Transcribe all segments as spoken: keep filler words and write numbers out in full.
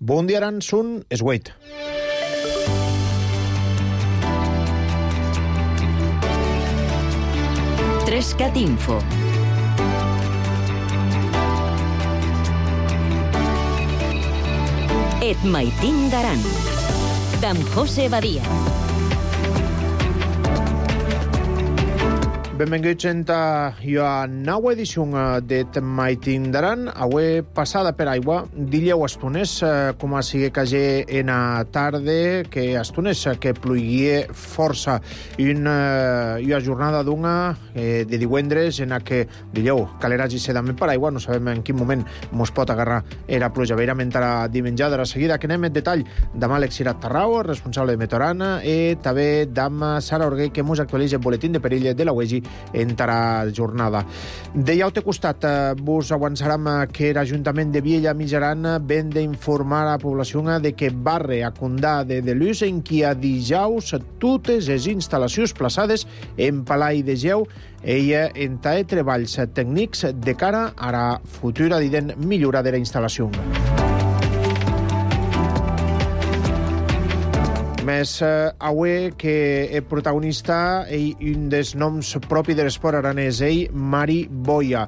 Bon dia, Aran, sun Esgueit. Trescat Info. Et maitin d'Aran, d'en José Badia. Benvinguts a la nova edició d'Et maitin d'Aran. Avui passada per aigua, dileu estones, com a sigui que hagi en a tarda, que estones que pluïa força. Una, una jornada d'una eh, de divendres en què dileu caleràs i sedament per aigua. No sabem en quin moment mos pot agarrar era pluja. Veurem entra dimenjada. De seguida que anem en detall d'am Àlex Cirat Tarrao, responsable de Meteorana, i també d'am Sara Orguell, que mos actualitza el boletín de perill de la U E G I en la jornada. De llaute costat, vos avançarem que l'Ajuntament de Viella Mitjaran ven d'informar a la població de que barre a Condà de Delús en qui a dijous totes les instal·lacions plaçades en Palai de Geu ella en tae treballs tècnics de cara a la futura dident millora de la instal·lació. Més eh, avui que el protagonista i un dels noms propi de l'esport aranès, ell, Mari Boia.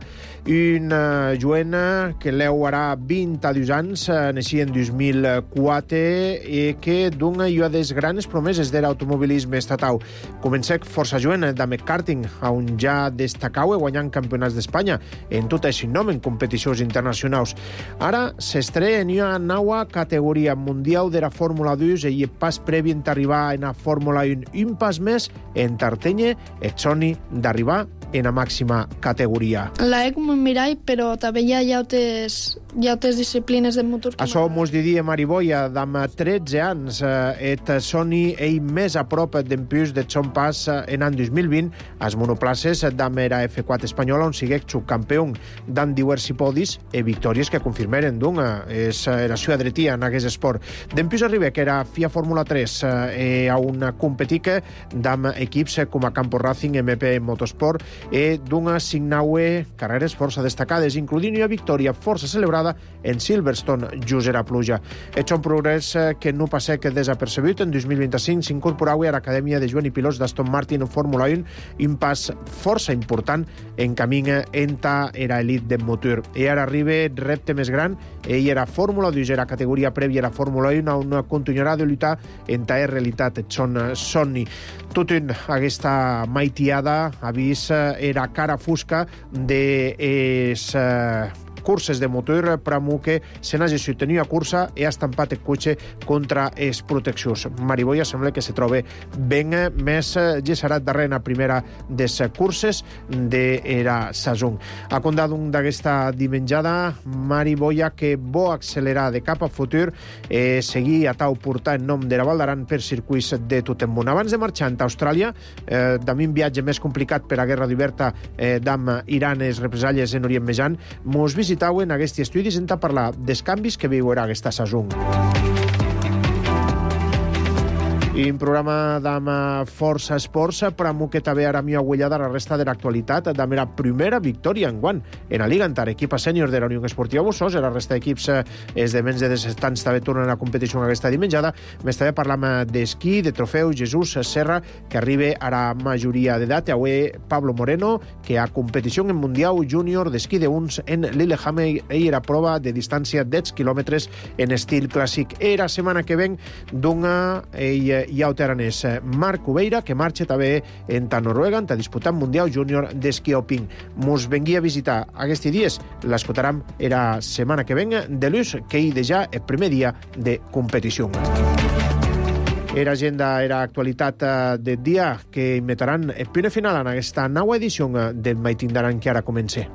Un eh, joena que l'eu harà vint a dos anys, eh, naixia en dos mil quatre, i que dona una de les grans promeses de l'automobilisme estatal. Comencé força joena de karting, on ja destacau guanyant campionats d'Espanya en tot aquest nom en competicions internacionals. Ara s'estrena en una nova categoria mundial de la Fórmula dos i el pas previ en arribar en la Fórmula un, un pas més en Tartenya et soni d'arribar en la màxima categoria. La he com un mirall, però també hi ha llautes, llautes disciplines de motor. Això mos diria Mariboia, d'am tretze anys, et soni ell més a prop d'en plus de son pas en any dos mil vint, als monoplaces d'am era F quatre espanyola, on siguec subcampió d'an diversi podis i victòries que confirmeren d'una. És la seva dretia en aquest esport. D'en plus arriba que era F I A Fórmula tres, eh, a una competica d'am equips com a Campo Racing, M P Motorsport, i d'una signaue carreres força destacades, incloent una victòria força celebrada en Silverstone, just era pluja. És un progrés que no passa que desapercebut. En dos mil vint-i-cinc s'incorporava a l'Acadèmia de Joan i Pilots d'Aston Martin en Fórmula un, un pas força important en camí enta era elit de motor. I ara arriba el repte més gran, ell era Fórmula dos, era categoria prèvia a la Fórmula un, on continuarà de lluitar en ta realitat et son somni. Tot un aquesta maitiada ha vist era cara fosca de es uh, curses de motor per a que se n'hagi sostenir a cursa i ha estampat el cotxe contra els proteccions. Mariboia sembla que se troba ben més gesserat darrere la primera de les curses de la saison. Ha condat un d'aquesta dimenjada Mariboia que vol accelerar de cap a futur i seguir a tau portar en nom de la Val d'Aran per circuits de tot el món. Abans de marxar a Austràlia, eh, d'ami un viatge més complicat per a guerra d'oberta eh, d'am Iran i les represàlies en Orient Mitjà, mos visitauen aquests estudis en parlar dels canvis que viurà aquesta saison. I un programa d'am força esports per a que també ara m'hi agullada la resta de l'actualitat d'am la primera victòria en guant en la Liga Antar, equip sènior de la Unió Esportiva Bussos. La resta d'equips és de menys de disset anys també tornen a la competició aquesta dimenjada. Més també parlam d'esquí, de trofeu Jesús Serra, que arriba a la majoria d'edat. I avui Pablo Moreno, que a competició en Mundial Júnior d'esquí de uns en Lillehammer i era prova de distància de deu quilòmetres en estil clàssic. I la setmana que ven d'una ell i aranès Marc Ubeira, que marxa també en ta Noruega, en ta disputant Mundial Júnior d'esquí alpí. Mos vengui a visitar aquests dies, l'escoltarem la setmana que ven de l'ús, que hi deja el primer dia de competició. Era agenda, era actualitat del dia que imitaran el primer final en aquesta nova edició del maitin d'Aran que ara comença.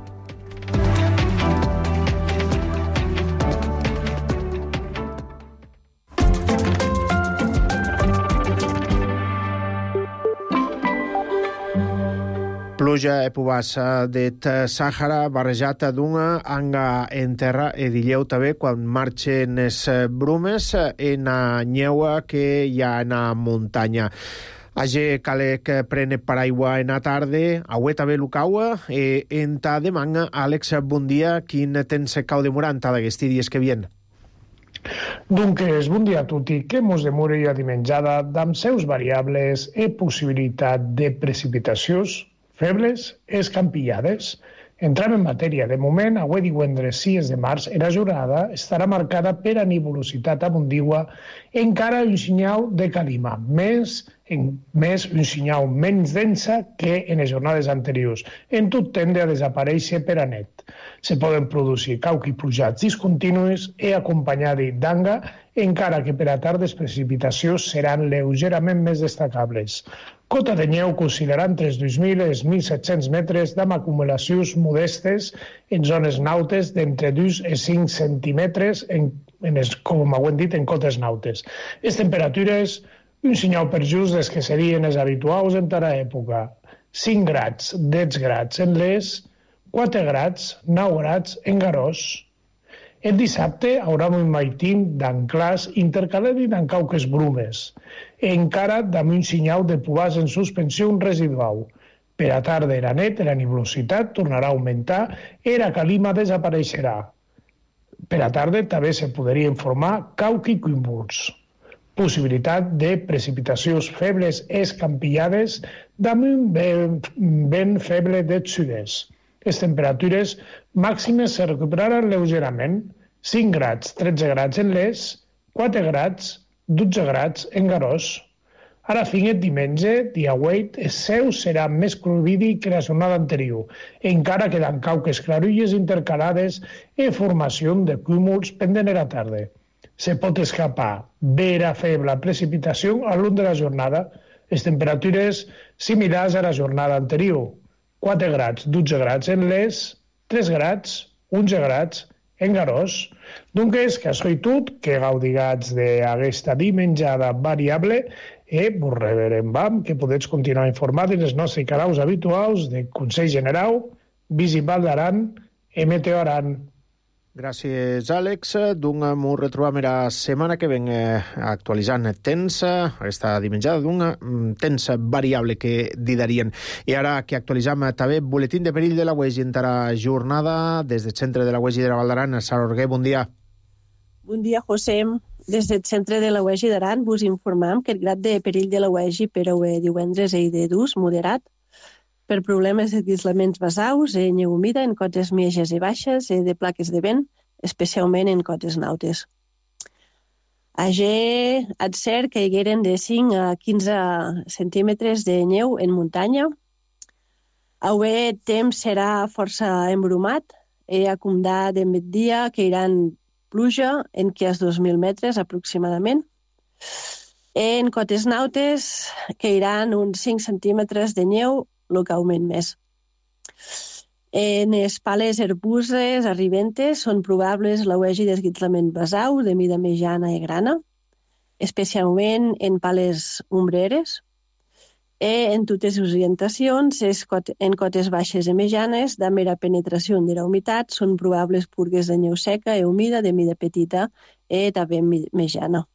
Pluja e pubassa det Sàhara barrejat d'una anga en terra e dilleu també quan marxen les brumes en a nyeua que hi ha en a muntanya. Age calec prene paraigua en a tarde, avui també l'ucaua, e en ta demanga, Àlex, bon dia, quin tens cau de moranta d'aquests dies que vien? Dunques, bon dia a tutti, que mos demora a dimenjada damb seus variables e possibilitat de precipitacions febles escampillades. Entram en matèria. De moment, avui divendres sis de març, la jornada estarà marcada per a nuvolositat abundigua, encara un senyal de calima, més, en, més un senyal menys densa que en les jornades anteriors. En tot tende a desaparèixer per a net. Se poden produir cauc i plujats discontinus i acompanyats d'anga, encara que per a tardes precipitacions seran lleugerament més destacables. Cota de neu que oscil·larà entre els dos mil i els mil set-cents metres amb acumulacions modestes en zones nautes d'entre dos i cinc centímetres, en, en els, com ho hem dit, en cotes nautes. Les temperatures, un senyal per just des que serien els habituals en tota època. cinc grads, deu grads en Les, quatre grads, nou grads en Garòs. El dissabte haurà un maitín d'anclars intercalat i d'encauques brumes, encara amb un senyal de pubàs en suspensió residual. Per a tarda i la net, la nuvolositat tornarà a augmentar i la calima desapareixerà. Per a tarda també se podrien formar cauc i cúmuls. Possibilitat de precipitacions febles escampillades amb un vent, vent feble de sud-est. Les temperatures màximes se recuperaran lleugerament, cinc grads, tretze grads en Les, quatre grads, dotze grads en Garòs. Ara fin el diumenge, dia vuit, el seu serà més clovidi que la jornada anterior, encara queden cauques clarulles intercalades i formació de cúmuls pendent a la tarda. Se pot escapar vera feble precipitació a l'un de la jornada, les temperatures similars a la jornada anterior, quatre grads, dotze grads en Les, tres grads, onze grads en Garòs. Doncs, que això i tot, que gaudigats d'aquesta dimenjada variable i vos reverem vam que podeu continuar informats en els nostres canals habituals de Consell General, Visival d'Aran i Meteo Aran. Gràcies, Àlex. Doncs m'ho retrobam la setmana que ven eh, actualitzant temps, aquesta dimenjada d'un temps variable que didarien. I ara que actualitzam també boletín de perill de la U E G I en la jornada des del centre de la U E G I de la Val d'Aran. Sara Orguer, bon dia. Bon dia, José. Des del centre de la U E G I d'Aran vos informam que el grad de perill de la U E G I per a divendres és de dos, moderat, per problemes de dislaments basaus, eh, neu humida en cotes mitjanes i baixes, eh, de plaques de vent, especialment en cotes nautes. Agé ha de ser que hi hagueren de cinc a quinze centímetres de neu en muntanya. Avui el temps serà força embrumat, eh, a comptar de migdia que iran pluja en que és dos mil metres aproximadament. En cotes nautes que iran uns cinc centímetres de neu localment més. En les pales herbuses arribentes són probables la U E G I d'esguitzlament basau de mida mitjana i grana, especialment en pales ombreres. I en totes les orientacions, en cotes baixes i mitjanes, de mera penetració de la humitat, són probables purgues de neu seca i humida de mida petita i també mitjana.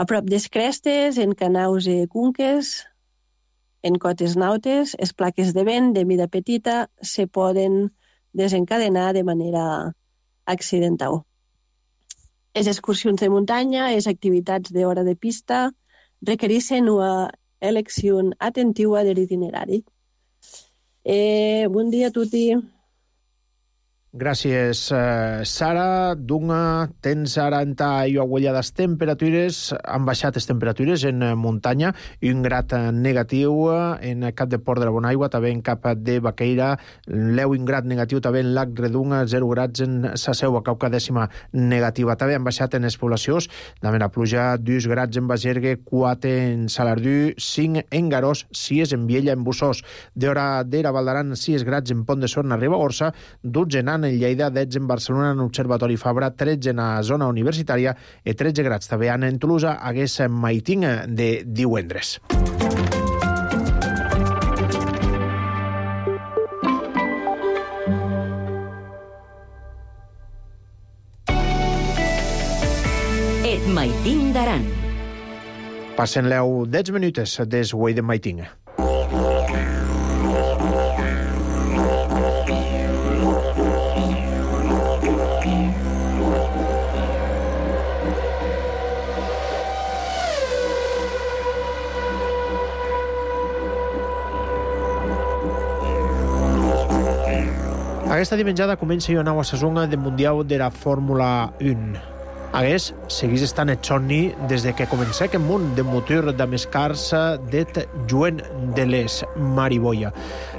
A prop des crestes, en canaus i cunques, en cotes nautes, les plaques de vent de mida petita se poden desencadenar de manera accidental. Les excursions de muntanya, les activitats d'hora de pista, requereixen una elecció atentiva de l'itinerari. Eh, bon dia a tutti. Gràcies, Sara. Dunga, tens ara en ta i aguella les temperatures, han baixat les temperatures en muntanya i un grad negatiu en Cap de Port de la Bonaigua, també en Cap de Baqueira, l'eu un grad negatiu també en Lac Redunga, zero grads en sa seu a Cauca dècima negativa. També han baixat en les poblacions, també la pluja, dos grads en Bagergue, quatre en Salardú, cinc en Garòs, sis en Viella, en Bussós, d'hora d'era Val d'Aran, sis grads en Pont de Sorna, Ribagorça, dotze en en Lleida, dotze en Barcelona, en Observatori Fabra, tretze en la zona universitària i tretze grads també en Tolosa, hagués maiting de divendres. Et maiting d'Aran. Passen-leu deu minutes des Güell de maiting. Aquesta dimenjada comença jo anau a sazonga de Mundial de la Fórmula un. Hagués, seguís estant et somni des de que comencé aquest món de motor de més cars d'et Joan de les Mariboia.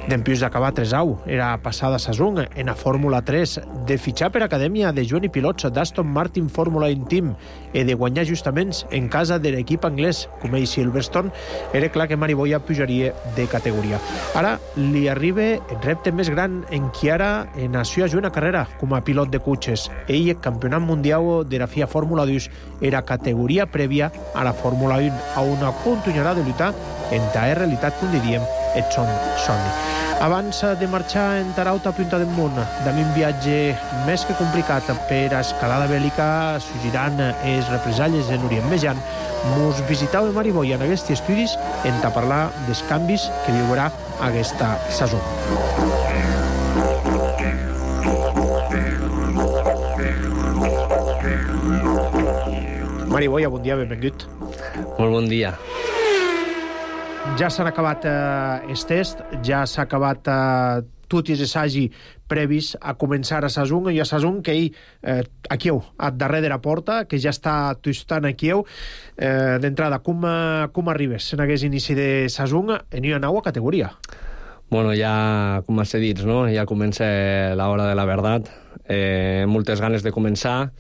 Dempius d'acabar tres au, era passada sazón en la Fórmula tres, de fitxar per acadèmia de Joan i pilots d'Aston Martin Fórmula un Team i de guanyar justaments en casa de l'equip anglès, com ell Silverstone, era clar que Mariboia pujaria de categoria. Ara li arriba el repte més gran en qui ara nació a jugar una carrera com a pilot de cotxes. Ell, campionat mundial de la F I A Fórmula dos, era categoria prèvia a la Fórmula un, a una continuarà de lluitar en ta realitat, com diríem, et son somni. Abans de marxar en tarauta punta del món, d'un viatge més que complicat per a escalada bèl·lica, sugiran els represalles en Orient Mitjà, mos visitau a Mariboia en aquests estudis en ta parlar dels canvis que viurà aquesta sazó. Mariboia, bon dia, benvingut. Molt bon dia. Ja s'han acabat eh, els tests, ja s'ha acabat eh, tot i assagi previs a començar a Sazung, i a Sazung que ell, eh, aquí heu, a darrere de la porta, que ja està tostant aquí heu. Eh, D'entrada, com, com arribes en aquest inici de Sazung en una nova categoria? Bueno, ja, com has dit, no? Ja comença l'hora de la veritat. Eh, moltes ganes de començar.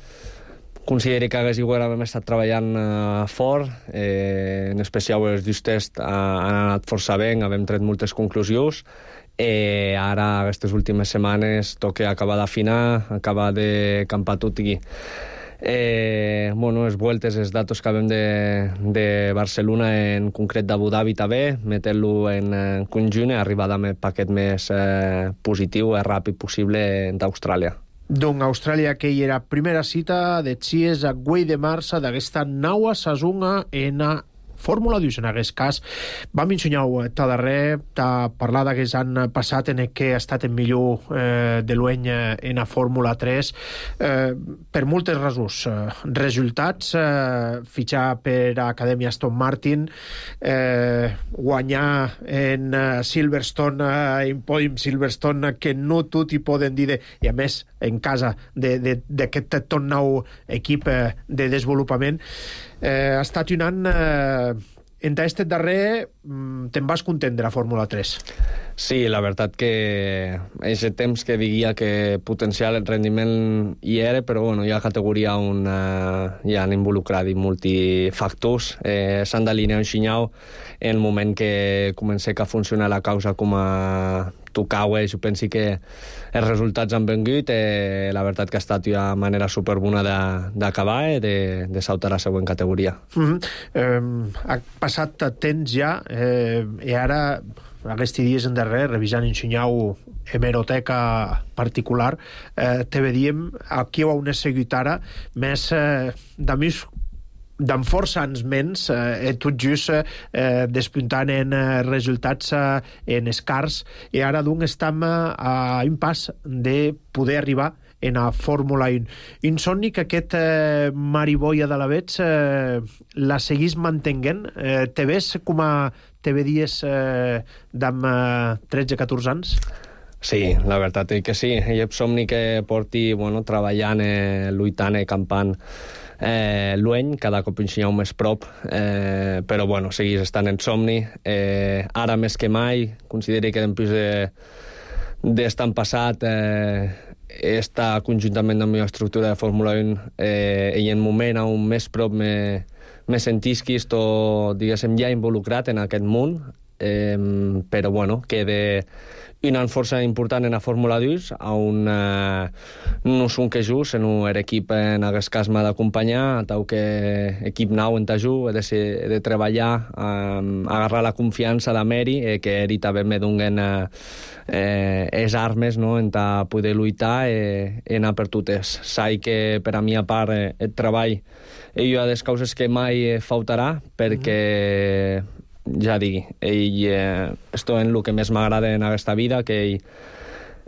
Considero que hagués igual hem estat treballant uh, fort, eh, en especial els dos tests uh, han anat força bé, hem tret moltes conclusions. Eh, ara, aquestes últimes setmanes, toca acabar d'afinar, acabar de campar tot i eh, bueno, les vueltes, els datos que havem de, de Barcelona, en concret d'Abu Dhabi també, metent-lo en, en conjunt i arribar amb el paquet més eh, positiu i ràpid possible d'Austràlia. Doncs Austràlia, que hi era primera cita de Xies a Güell de Marça d'aquesta naua sazunga en a Fórmula dos, en aquest cas. Vam ensenyar-ho ta darrer, ta parlar d'aquests han passat en el que ha estat el millor eh, de l'any en la Fórmula tres, eh, per moltes raons. Resultats, eh, fitxar per Acadèmia Aston Martin, eh, guanyar en uh, Silverstone, uh, en pòdium Silverstone, que no tot hi poden dir, de, i a més, en casa d'aquest tot nou equip eh, de desenvolupament. Eh, ha estat un any eh, en aquest darrer te'n vas content de la Fórmula tres. Sí, la veritat que és el temps que diria que potencial el rendiment hi era, però bueno, hi ha categoria on uh, hi han involucrat multifactors. Eh, S'han d'alinear un xinyau en el moment que comença a funcionar la causa com a tocau. Eh, jo penso que els resultats han vengut. Eh, la veritat que ha estat una manera superbona d'acabar, eh, de, de saltar a la següent categoria. Mm-hmm. eh, ha passat temps ja, eh, i ara aquests dies en darrer, revisant ensenyau hemeroteca particular, eh, te vedíem aquí ho heu seguit ara, més eh, de més d'en força anys menys, eh, tot just eh, despuntant en eh, resultats eh, en escars, i ara doncs estem eh, a un pas de poder arribar en la Fórmula un. Un somni que aquest eh, Mariboia de l'Avets eh, la seguís mantenint. Eh, te ves com a te vedies eh, d'amb eh, tretze catorze anys? Sí, la veritat és que sí. Hi ha somni que porti bueno, treballant, eh, lluitant i campant eh, l'any, cada cop ensenyau més prop, eh, però bueno, seguís estant en somni. Eh, ara més que mai, considero que després de, d'estar passat eh, està conjuntament amb la meva estructura de Fórmula un eh, i en moment on més prop me, me sentisc o, diguéssim, ja involucrat en aquest món, eh, però bueno, queda una força important en la Fórmula dos, on eh, no són que just, en un equip en aquest cas m'ha d'acompanyar, tau que equip nou en t'aju, he de, ser, he de treballar, eh, agarrar la confiança de Meri, eh, que ell també me donen eh, eh, les armes, no?, en ta poder lluitar i eh, anar per totes. Sai que per a mi a part eh, el treball és una de les causes que mai faltarà, perquè mm. ja digui, ell, eh, esto en el que més m'agrada en aquesta vida, que ell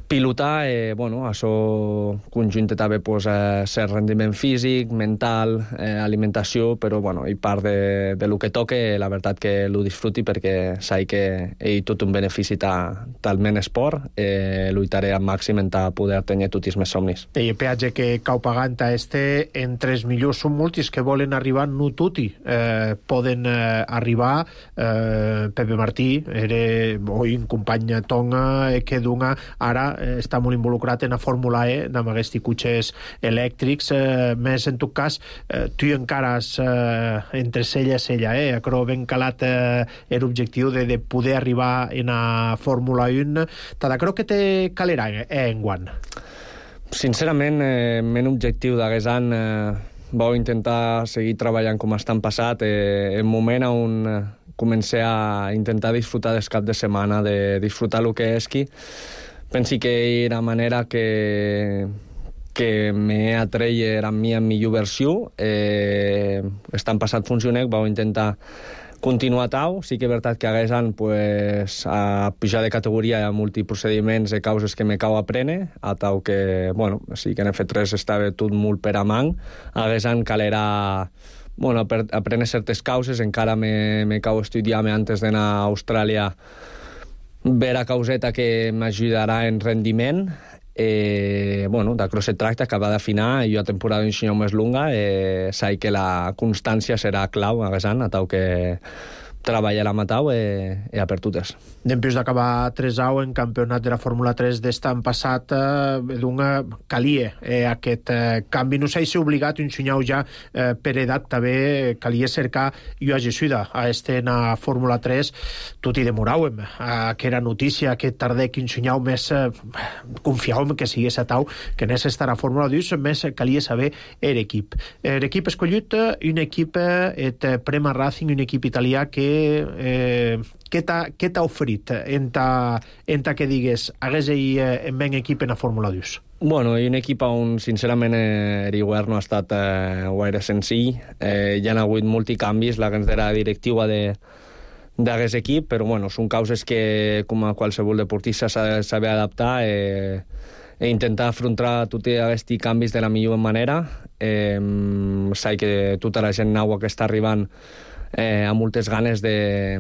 pilotar, eh, bueno, això conjunta també pues, eh, ser rendiment físic, mental, eh, alimentació, però bueno, i part de, de lo que toque, la veritat que lo disfruti perquè sé que hi ha tot un benefici ta, talment esport, eh, lluitaré al màxim en ta poder tenir tots els meus somnis. I el peatge que cau pagant a este entre els millors són molts que volen arribar, no tutti eh, poden eh, arribar. eh, Pepe Martí era oi, un company Tonga que Dunga ara eh, està molt involucrat en la Fórmula E amb aquests cotxes elèctrics, eh, més en tot cas eh, tu encara has eh, entre cella i cella, eh? Creu ben calat eh, l'objectiu de, de poder arribar en la Fórmula un. Tada, creu que té calera eh, en guant? Sincerament, eh, men objectiu d'aquest any eh, vau intentar seguir treballant com estan passat. Eh, el moment on eh, comencé a intentar disfrutar del cap de setmana, de disfrutar el que és qui, pensi que era manera que que me atreia a mi en millor versió. Eh, estan passat funcionec, vau intentar continuar tau. Sí que és veritat que hagués any pues, a pujar de categoria hi ha multiprocediments de causes que me cau a prene, a tau que, bueno, sí que en F tres estava tot molt per a man. Hagués any calera bueno, aprendre certes causes, encara me, me cau estudiar-me antes d'anar a Austràlia vera causeta que m'ajudarà en rendiment. Eh, bueno, d'això se tracta, acabar d'afinar, i jo a temporada d'ensenyar més longa, eh, sé que la constància serà clau a aquest any, a tau que treballar a matau eh, e a per totes. Dempeus d'acabar tres au en campionat de la Fórmula tres d'estan passat, eh, d'una calia eh, aquest eh, canvi. No sé si obligat un senyau ja eh, per edat també calia cercar jo a Jesuida a este en la Fórmula tres. Tot i demoràvem a aquella notícia aquest tarder que un senyau més eh, confiàvem que sigués a tau que anés a estar a Fórmula dos, més calia saber l'equip. L'equip escollit, un equip et Prema Racing, un equip italià que Eh, què t'ha oferit en ta, en ta que digues hagués ell eh, en ben equip en la Fórmula dos? Bueno, i un equip on sincerament eh, el govern no ha estat eh, gaire senzill. Eh, hi ha hagut multicanvis, la la directiva de d'aquest equip, però bueno, són causes que com a qualsevol deportista s'ha de saber adaptar eh, e intentar afrontar tots aquests canvis de la millor manera. Eh, sé que tota la gent nova que està arribant Eh, amb moltes ganes de,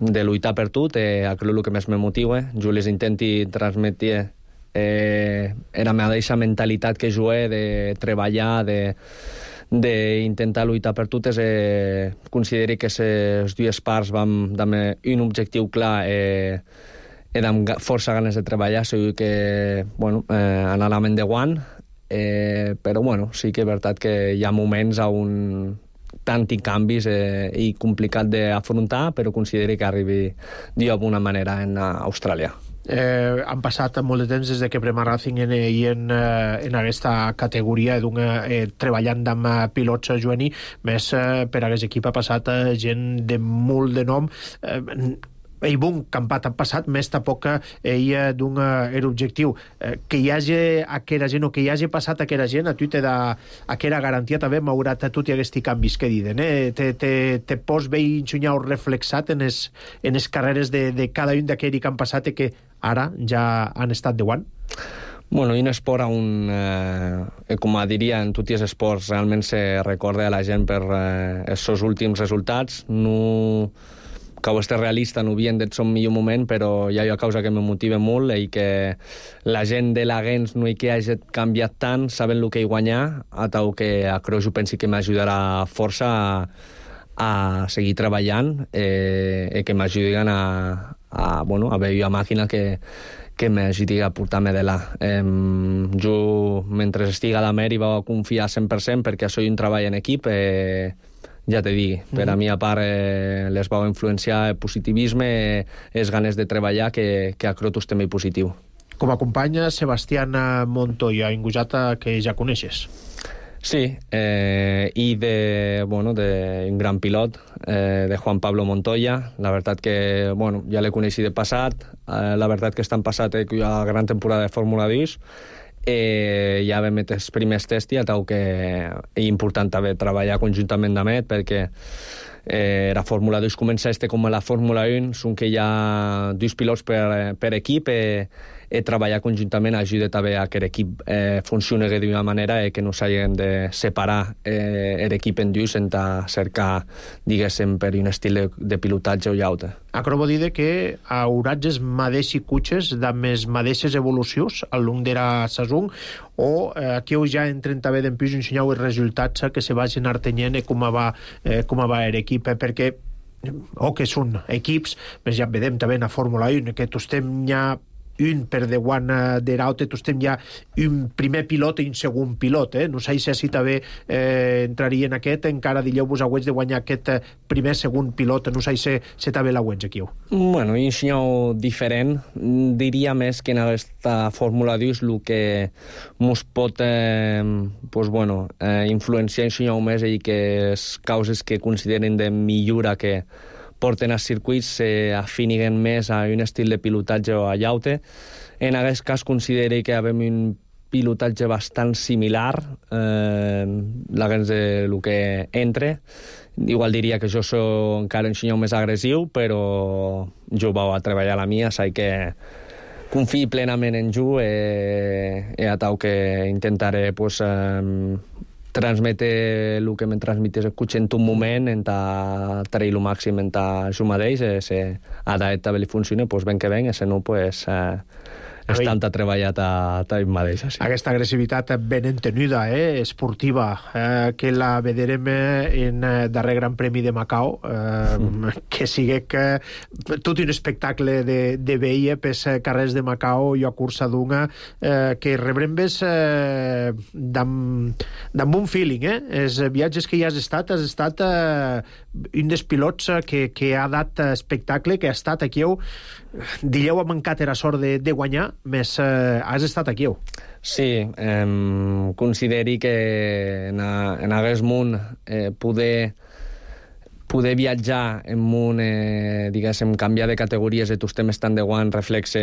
de lluitar per tot, eh, és el que més me motiva. Jo les intenti transmetre eh, la mateixa mentalitat que jo he de treballar, de d'intentar lluitar per totes. Eh, consideri que les dues parts vam amb un objectiu clar eh, i amb força ganes de treballar. Segur que bueno, eh, anàvem de guant, eh, però bueno, sí que és veritat que hi ha moments on tant i canvis eh, i complicat d'afrontar, però consideri que arribi d'alguna manera en Austràlia. Eh, han passat molt de temps des de que Prema Racing en, i en, en aquesta categoria eh, treballant amb pilots juvenils, més eh, per aquest equip ha passat eh, gent de molt de nom. Eh, ell bon campat ha passat, més tampoc ell d'un era objectiu. Eh, que hi hagi aquella gent o que hi hagi passat aquella gent, a tu te da aquella garantia també, malgrat a tot i aquests canvis que diden. Eh? Te, te, te pots veure ensenyar reflexat en les en les carreres de, de cada un d'aquells que han passat i que ara ja han estat de guant? Bueno, un esport on, eh, com diria, en tots els esports realment se recorda a la gent per eh, els seus últims resultats. No que ho esté realista, no havien d'être son millor moment, però hi ha una causa que me motiva molt i que la gent de l'Agens no hi que hagi canviat tant, saben el que hi guanyar, a tal que a Creu jo pensi que m'ajudarà força a, a seguir treballant eh, i que m'ajudin a, a, bueno, a veure una màquina que, que m'ajudi a portar-me de là. Eh, jo, mentre estiga a Mer, hi vaig confiar cent per cent perquè soy un treball en equip. Eh, ja te digui, per a mi a part eh, les vau influenciar el positivisme, eh, les ganes de treballar, que, que a Crotos també positiu. Com a companya, Sebastián Montoya, ingusata que ja coneixes. Sí, eh, i de, bueno, de un gran pilot, eh, de Juan Pablo Montoya. La veritat que, bueno, ja l'he coneixit de passat, eh, la veritat que estan passat eh, una gran temporada de Fórmula dos, Eh, ja vam metre els primers tests i a tau que és important també treballar conjuntament amb ell, perquè eh, la Fórmula dos comença este com a la Fórmula un, són que hi ha dos pilots per, per equip eh, i treballar conjuntament ajuda també a que l'equip eh, funcioni d'una manera i que no s'hagin de separar eh, l'equip en dius en cercar, diguéssim, per un estil de, de pilotatge o llaute. Acabo de dir que hauratges els mateixos cotxes de més mateixes evolucions al long de la saison o eh, aquí heu ja entren també d'empús ensenyeu els resultats que se vagin artenyent i com va, eh, com va l'equip, eh, perquè o que són equips, més ja vedem també en la Fórmula un, que tu estem ja un per davant de l'altre, tu estem ja un primer pilot i un segon pilot, eh? No sé si així també eh, entraria en aquest, encara dileu-vos agüets de guanyar aquest primer, segon pilot, no sé si, si també l'agüets aquí. Bueno, un senyor diferent, diria més que en aquesta Fórmula dos el que mos pot eh, pues, bueno, eh, influenciar un senyor més i que les causes que consideren de millora que porten als circuits s'afiniguen més a un estil de pilotatge o a llaute. En aquest cas considero que havem un pilotatge bastant similar, eh, l'agents de lo que entre. Igual diria que jo soc encara un senyor més agressiu, però jo vau a treballar la mia, sé que confio plenament en jo i, i a tau que intentaré pues, eh, transmetre el que me transmetés el cotxe en un moment, en ta treure el màxim en ta jo mateix, si a d'et també li funciona, doncs ben que ben, i si no, doncs eh, és tanta treballat a ta mateix. Sí. Aquesta agressivitat ben entenuda, eh, esportiva, eh, que la veurem en el darrer Gran Premi de Macau, eh, mm. que sigui que tot un espectacle de, de veia pels carrers de Macau i a cursa d'una, eh, que rebrem ves eh, d'amb un feeling, eh? Els viatges que hi has estat, has estat eh, un dels pilots que, que ha dat espectacle, que ha estat aquí, dilleu ha mancat era sort de, de guanyar, més eh, has estat aquí. Sí, eh, consideri que en, a, en aquest món eh, poder poder viatjar en un, eh, diguéssim, canviar de categories i tu estem estant de guant reflexe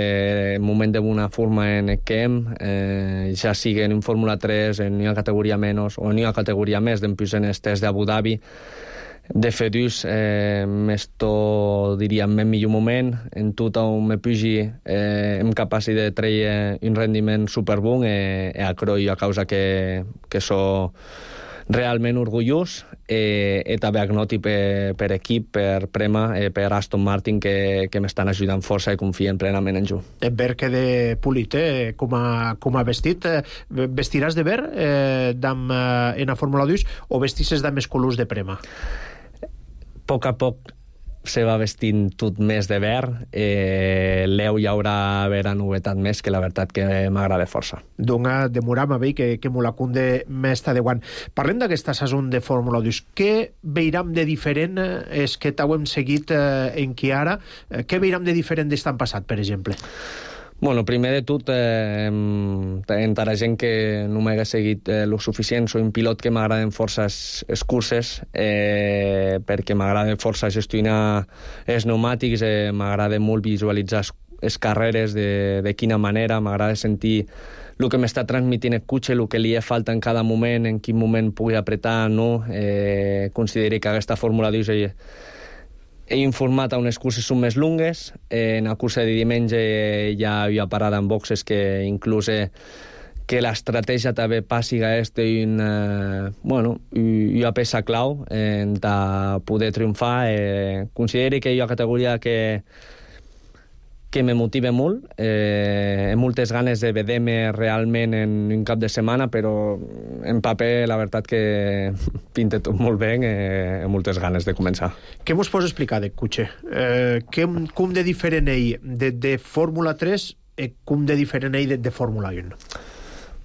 el moment d'una forma en el que hem, eh, ja sigui en un Fórmula tres, en una categoria menys o en una categoria més, d'empús en els tests d'Abu Dhabi, de fer dus, eh, m'esto, diria, en el millor moment, en tot on me pugi, eh, em capaç de treure un rendiment superbon i, i a croi a causa que, que so realment orgullós eh, i també agnoti per, per equip, per Prema, eh, per Aston Martin, que, que m'estan ajudant força i confien plenament en jo. En ver que de polit, eh, com a, com a vestit, eh, vestiràs de ver eh, dam, eh, en la Fórmula dos o vestisses de més colors de Prema? A poc a poc se va vestint tot més de verd. Eh, L'eu hi haurà haver novetat més, que la veritat que m'agrada força. Donga demoram a veure que, que m'ho la cunde m'està de guant. Parlem d'aquesta sason de Fórmula dos. Què veiram de diferent és que t'ho hem seguit eh, en qui ara? Eh, què veiram de diferent d'estan passat, per exemple? Bueno, primer de tot, eh, encara gent que no m'hagués seguit eh, lo suficient, soy un pilot que m'agraden força les curses, eh, perquè m'agrada força gestionar els pneumàtics, eh, m'agrada molt visualitzar les carreres, de, de quina manera, m'agrada sentir el que m'està transmitint el cotxe, el que li falta en cada moment, en quin moment pugui apretar, no? Eh, considero que aquesta Fórmula dos he, he informat a unes curses són més lungues. Eh, en la cursa de diumenge ja havia parada en boxes que inclús eh, que l'estratègia també passi a este una, bueno, una peça clau en poder triomfar. Eh, considero que hi ha una categoria que que me motiva molt, eh, amb moltes ganes de veure-me realment en un cap de setmana, però en paper la veritat que pinta tot molt bé, eh, amb moltes ganes de començar. Què mos pots explicar de cotxe? Eh, que, com de diferent ell de, de Fórmula tres i com de diferent ell de, de Fórmula un?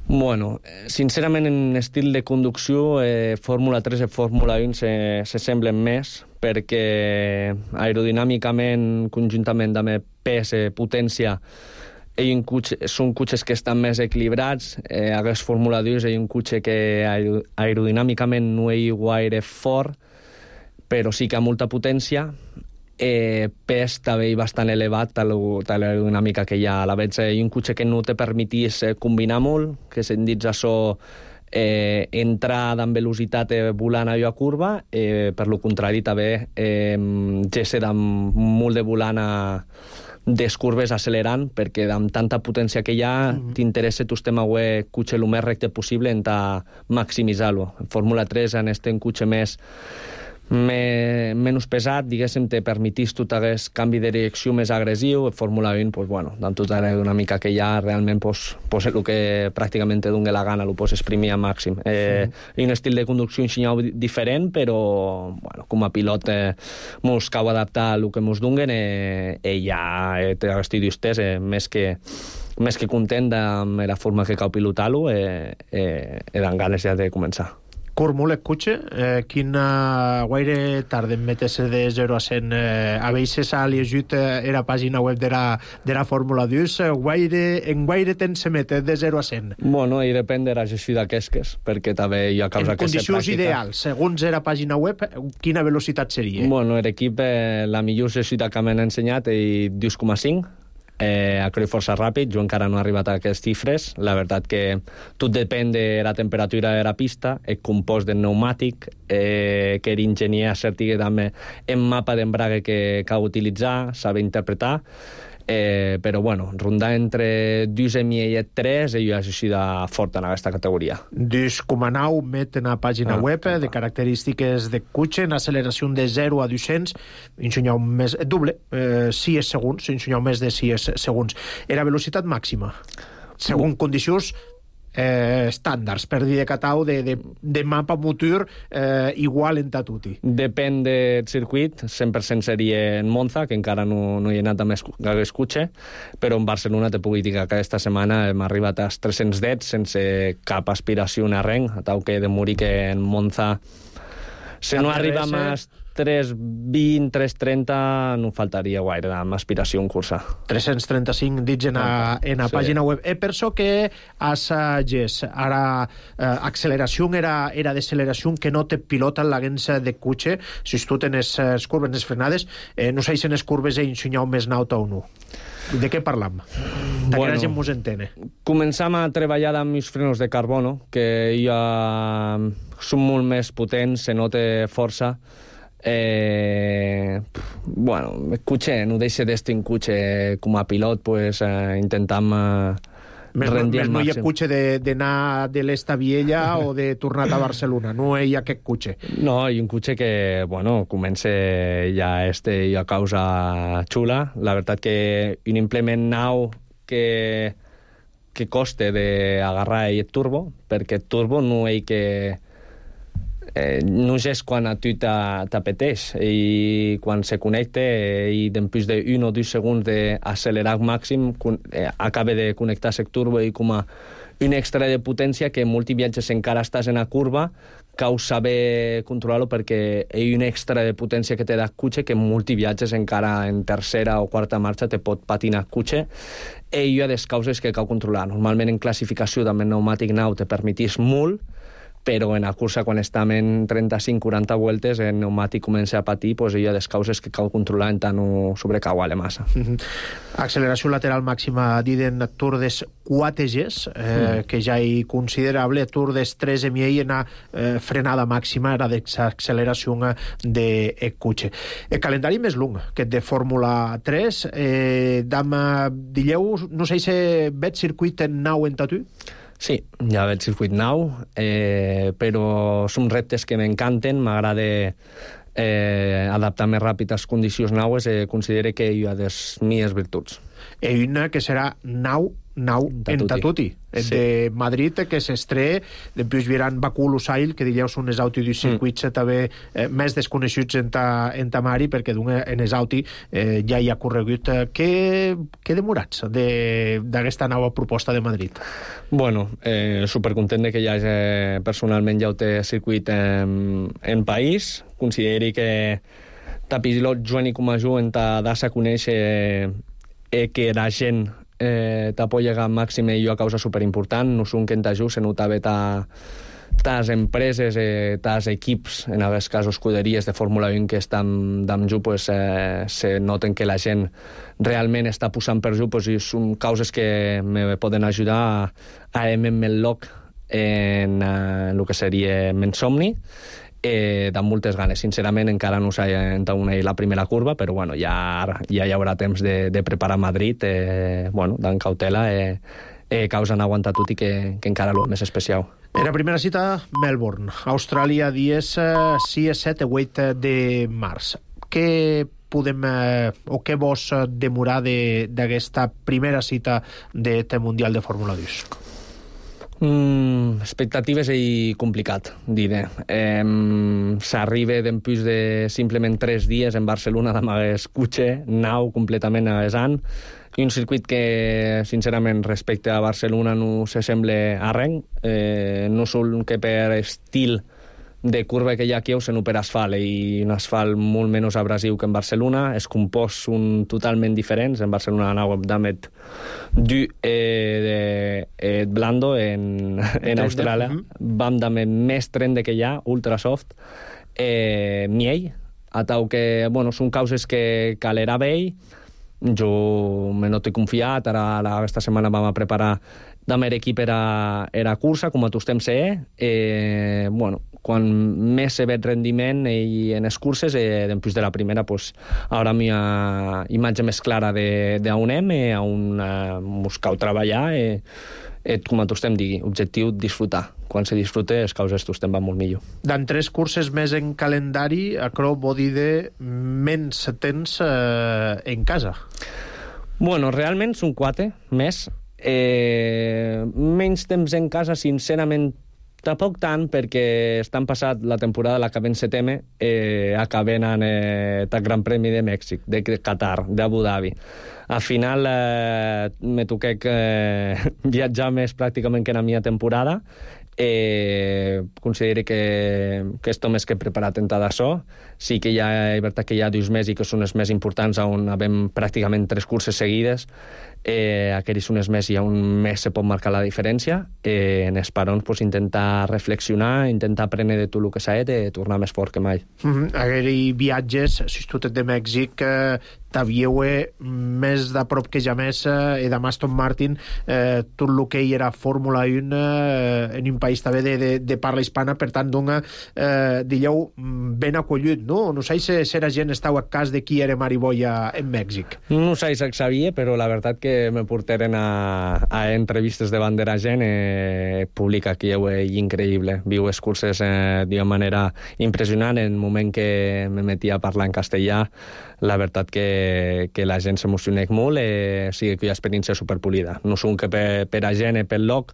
Bueno, sincerament en estil de conducció eh, Fórmula tres i Fórmula un se, se semblen més, perquè aerodinàmicament, conjuntament amb pes i potència, un cotxe, són cotxes que estan més equilibrats. Eh, aquest Fórmula dos és un cotxe que aerodinàmicament no és gaire fort, però sí que ha molta potència. Eh, pes també bastant elevat a l'aerodinàmica que hi ha. A la vegada és un cotxe que no te permetís combinar molt, que se'n dits això eh, entrar amb velocitat eh, volant a la curva, eh, per lo contrari també eh, gesse amb molt de volant a des curves accelerant, perquè amb tanta potència que hi ha, mm-hmm. t'interessa tu estem a un cotxe el més recte possible en maximitzar-lo. En Fórmula tres, en este cotxe més Me, menys pesat, diguéssim, te permetís tu t'hagués canvi de direcció més agressiu. En Fórmula un, pues, bueno, amb tota una mica que hi ha, realment, pues, pues, el que pràcticament te doni la gana, ho pots exprimir al màxim. Eh, sí. Un estil de conducció enxinyau diferent, però, bueno, com a pilot, eh, mos cau adaptar a el que mos donguen, eh, eh, ja eh, estic d'ustès, eh, més que més que content amb la forma que cau pilotar-lo, eh, eh, he d'en ganes ja de començar. Curmul, el cotxe, eh, quina guaire tarda en meterse de zero a cent. Eh, a vegades ha llegit eh, la pàgina web de la, de la Fórmula dos, eh, guaire, en guaire temps se mete de zero a cent? Bueno, i depèn de la gestió d'aquestes, perquè també hi ha causa que se pràctica. En condicions ideals, segons la pàgina web, quina velocitat seria? Bueno, l'equip, eh, la millor gestió que m'han ensenyat és dos coma cinc, Eh, a correr força ràpid, jo encara no he arribat a aquestes xifres. La veritat que tot depèn de la temperatura de la pista, el compost del pneumàtic, eh, que l'enginyer acertigui també en mapa d'embrague que cal utilitzar, saber interpretar, eh, però bueno, rondar entre dos i mig i tres i jo he sigut fort en aquesta categoria. dos coma nou met en la pàgina ah, web de característiques de cotxe, en acceleració de zero a dos-cents, ensenyau més, doble, eh, sis segons, ensenyau més de sis segons. Era velocitat màxima, segons condicions eh, estàndards, per dir de catau, de, de, de mapa motor eh, igual en tatuti. Depèn del circuit, cent per cent seria en Monza, que encara no, no hi he anat amb el cotxe, però en Barcelona te puc dir que aquesta setmana hem arribat als tres-cents deu sense cap aspiració a arrenc, a tal que de morir que en Monza si no arriba a tres vint, tres trenta, no faltaria gaire amb aspiració en cursa. tres-cents trenta-cinc dits en la, en la sí. pàgina web. E per això que has gès, ara eh, acceleració era, era d'acceleració que no te pilota l'agens de cotxe, si tu tens les curves, les frenades, eh, no sé si en les curves he ensenyat més nauta o no. De què parlam? De bueno, que la gent mos entene. Començam a treballar amb els frenos de carbono, que ja són molt més potents, se nota força. Eh, bueno, el cotxe, no deixa d'estar en cotxe com a pilot, pues, eh, intentam eh, rendir al màxim. No hi ha cotxe d'anar de, de l'est a Viella o de tornar a Barcelona, no hi ha aquest cotxe. No, hi ha un cotxe que, bueno, comença ja este i a causa xula. La veritat que un implement nou que, que costa d'agarrar el turbo, perquè el turbo no hi que... Eh, no és quan a tu t'apeteix i quan se connecta eh, i després d'un o dos segons d'accelerar màxim eh, acaba de connectar-se el turbo i com a un extra de potència que en molts viatges encara estàs en la curva cal saber controlar-lo perquè hi ha un extra de potència que té el cotxe que en molts viatges encara en tercera o quarta marxa te pot patinar el cotxe i hi ha des causes que cal controlar. Normalment en classificació també el pneumàtic nou te permetís molt, però en la cursa, quan estem en trenta-cinc quaranta voltes, el pneumàtic comença a patir, doncs hi ha les causes que cal controlar en tant no sobrecauar-le massa. Mm-hmm. Acceleració lateral màxima d'iden Tour des quatre Gs, eh, mm. que ja és considerable, Tour des tres M I en la eh, frenada màxima, era d'acceleració de cotxe. El calendari més long que de Fórmula tres, eh, dam, dilleu, no sé si veig circuit en nou en tatu? Sí, ja ve el circuit nou, eh, però són reptes que m'encanten, m'agrada eh, adaptar més ràpid a les condicions naues, eh, considero que hi ha les mies virtuts. Hi ha una que serà nou, nou en Tatuti, sí. De Madrid, que s'estré, després vieran Bakú, Lusail, que dieu són els autis dels circuits mm. també eh, més desconeixuts en ta, en ta mari, perquè en els autis eh, ja hi ha corregut. Què, què demorats d'aquesta nova proposta de Madrid? Bueno, eh, supercontent de que ja eh, personalment ja ho té circuit en, en país. Consideri que ta pilot Joan i com a jo en ta dassa conèixer eh, que la gent eh, t'apoya al màxim i jo a causa superimportant. No són que en t'ajut, se notava ta tas empreses, eh, tas equips, en alguns casos escuderies de Fórmula un que estan amb ju, pues, eh, se noten que la gent realment està posant per ju, pues, i són causes que me poden ajudar a, a M M Lock en, en el que seria Mensomni. eh, de moltes ganes. Sincerament, encara no s'ha entaunat la primera curva, però bueno, ja, ja hi haurà temps de, de preparar Madrid, eh, bueno, d'en cautela, eh, eh, que us han aguantat tot i que, que encara el més especial. Era primera cita, Melbourne, Austràlia, dies sis, set i vuit de març. Què podem, eh, o què vos demorar d'aquesta de, primera cita d'aquest Mundial de Fórmula dos? Mm, expectatives i complicat, diré. Eh, S'arriba d'empús de simplement tres dies en Barcelona d'amagues cotxe, nau completament aguesant, i un circuit que, sincerament, respecte a Barcelona no s'assembla a res, eh, no sol que per estil de curva que hi ha aquí o per asfalt, i un asfalt molt menys abrasiu que en Barcelona. Els composts són totalment diferents. En Barcelona anàvem d'amet du eh, eh, blando, en, en Austràlia vam d'amet més trende que hi ha, ultra soft, eh, miell, a tau que, bueno, són causes que calerà bé. Jo me no t'he confiat, ara aquesta setmana vam a preparar la meva equip era, era cursa, com a tu estem ser, eh, bueno, quan més se veig rendiment i en les curses, eh, després de la primera, pues, ara mi ha imatge més clara d'on anem, eh, on eh, buscar treballar, eh, eh, com a tu estem digui, objectiu disfrutar. Quan se disfruta, els causes tu estem van molt millor. Dan tres curses més en calendari, acro vol dir de menys temps eh, en casa. Bueno, realment són quatre més. Eh, menys temps en casa, sincerament, tampoc tant, perquè estan passat la temporada, l'acabem setembre, eh, acabem en eh, el Gran Premi de Mèxic, de Qatar, d'Abu Dhabi. Al final eh, me toqué eh, viatjar més pràcticament que en la meva temporada. Eh, considero que, que esto més que preparat en tot això. Sí que hi ha, és veritat que hi ha dos mesos que són els més importants, on havem pràcticament tres curses seguides. Eh, aquells són els mesos on més se pot marcar la diferència. Eh, en els parons, pues, intentar reflexionar, intentar aprendre de tot el que s'ha de tornar més fort que mai. Mm-hmm. Aquells viatges, si tu ets de Mèxic, eh, t'havíeu més de prop que ja més, eh, de Aston Martin, eh, tot el que hi era Fórmula un, eh, en un país també de, de, de parla hispana, per tant, dona, eh, digueu, ben acollit, no? No sé si la gent estava a cas de qui era Mariboia en Mèxic. No sé si sabia, però la veritat que me portaren a, a entrevistes davant de la gent, eh, publica que és increïble. Viu les curses eh, d'una manera impressionant. En el moment que me metia a parlar en castellà, la veritat que, que la gent s'emociona molt, eh, sigui que hi ha experiència superpolida. No són que per, per a gent, per lloc,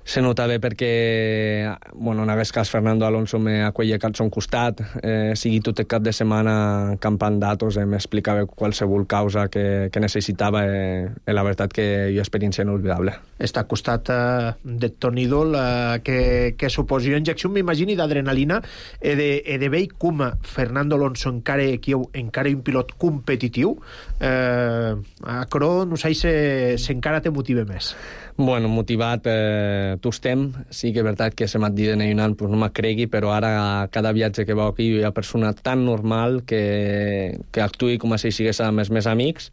se nota bé perquè, bueno, en aquest cas Fernando Alonso m'acollia al son costat, eh, sigui tot el cap de setmana campant datos, eh, m'explicava qualsevol causa que, que necessitava, eh, eh, la veritat que hi ha experiència inolvidable. Està al costat eh, de Toni Idol, eh, que, que suposi una injecció, m'imagini, d'adrenalina, e de, e de vell com Fernando Alonso encara, encara un pilot competitiu, eh, a Cro, no sé si, si encara te motiva més. Bueno, motivat eh, tu estem, sí que és veritat que se m'ha dit en un any, pues no me cregui, però ara cada viatge que vau aquí hi ha persona tan normal que, que actuï com si sigués amb els meus amics,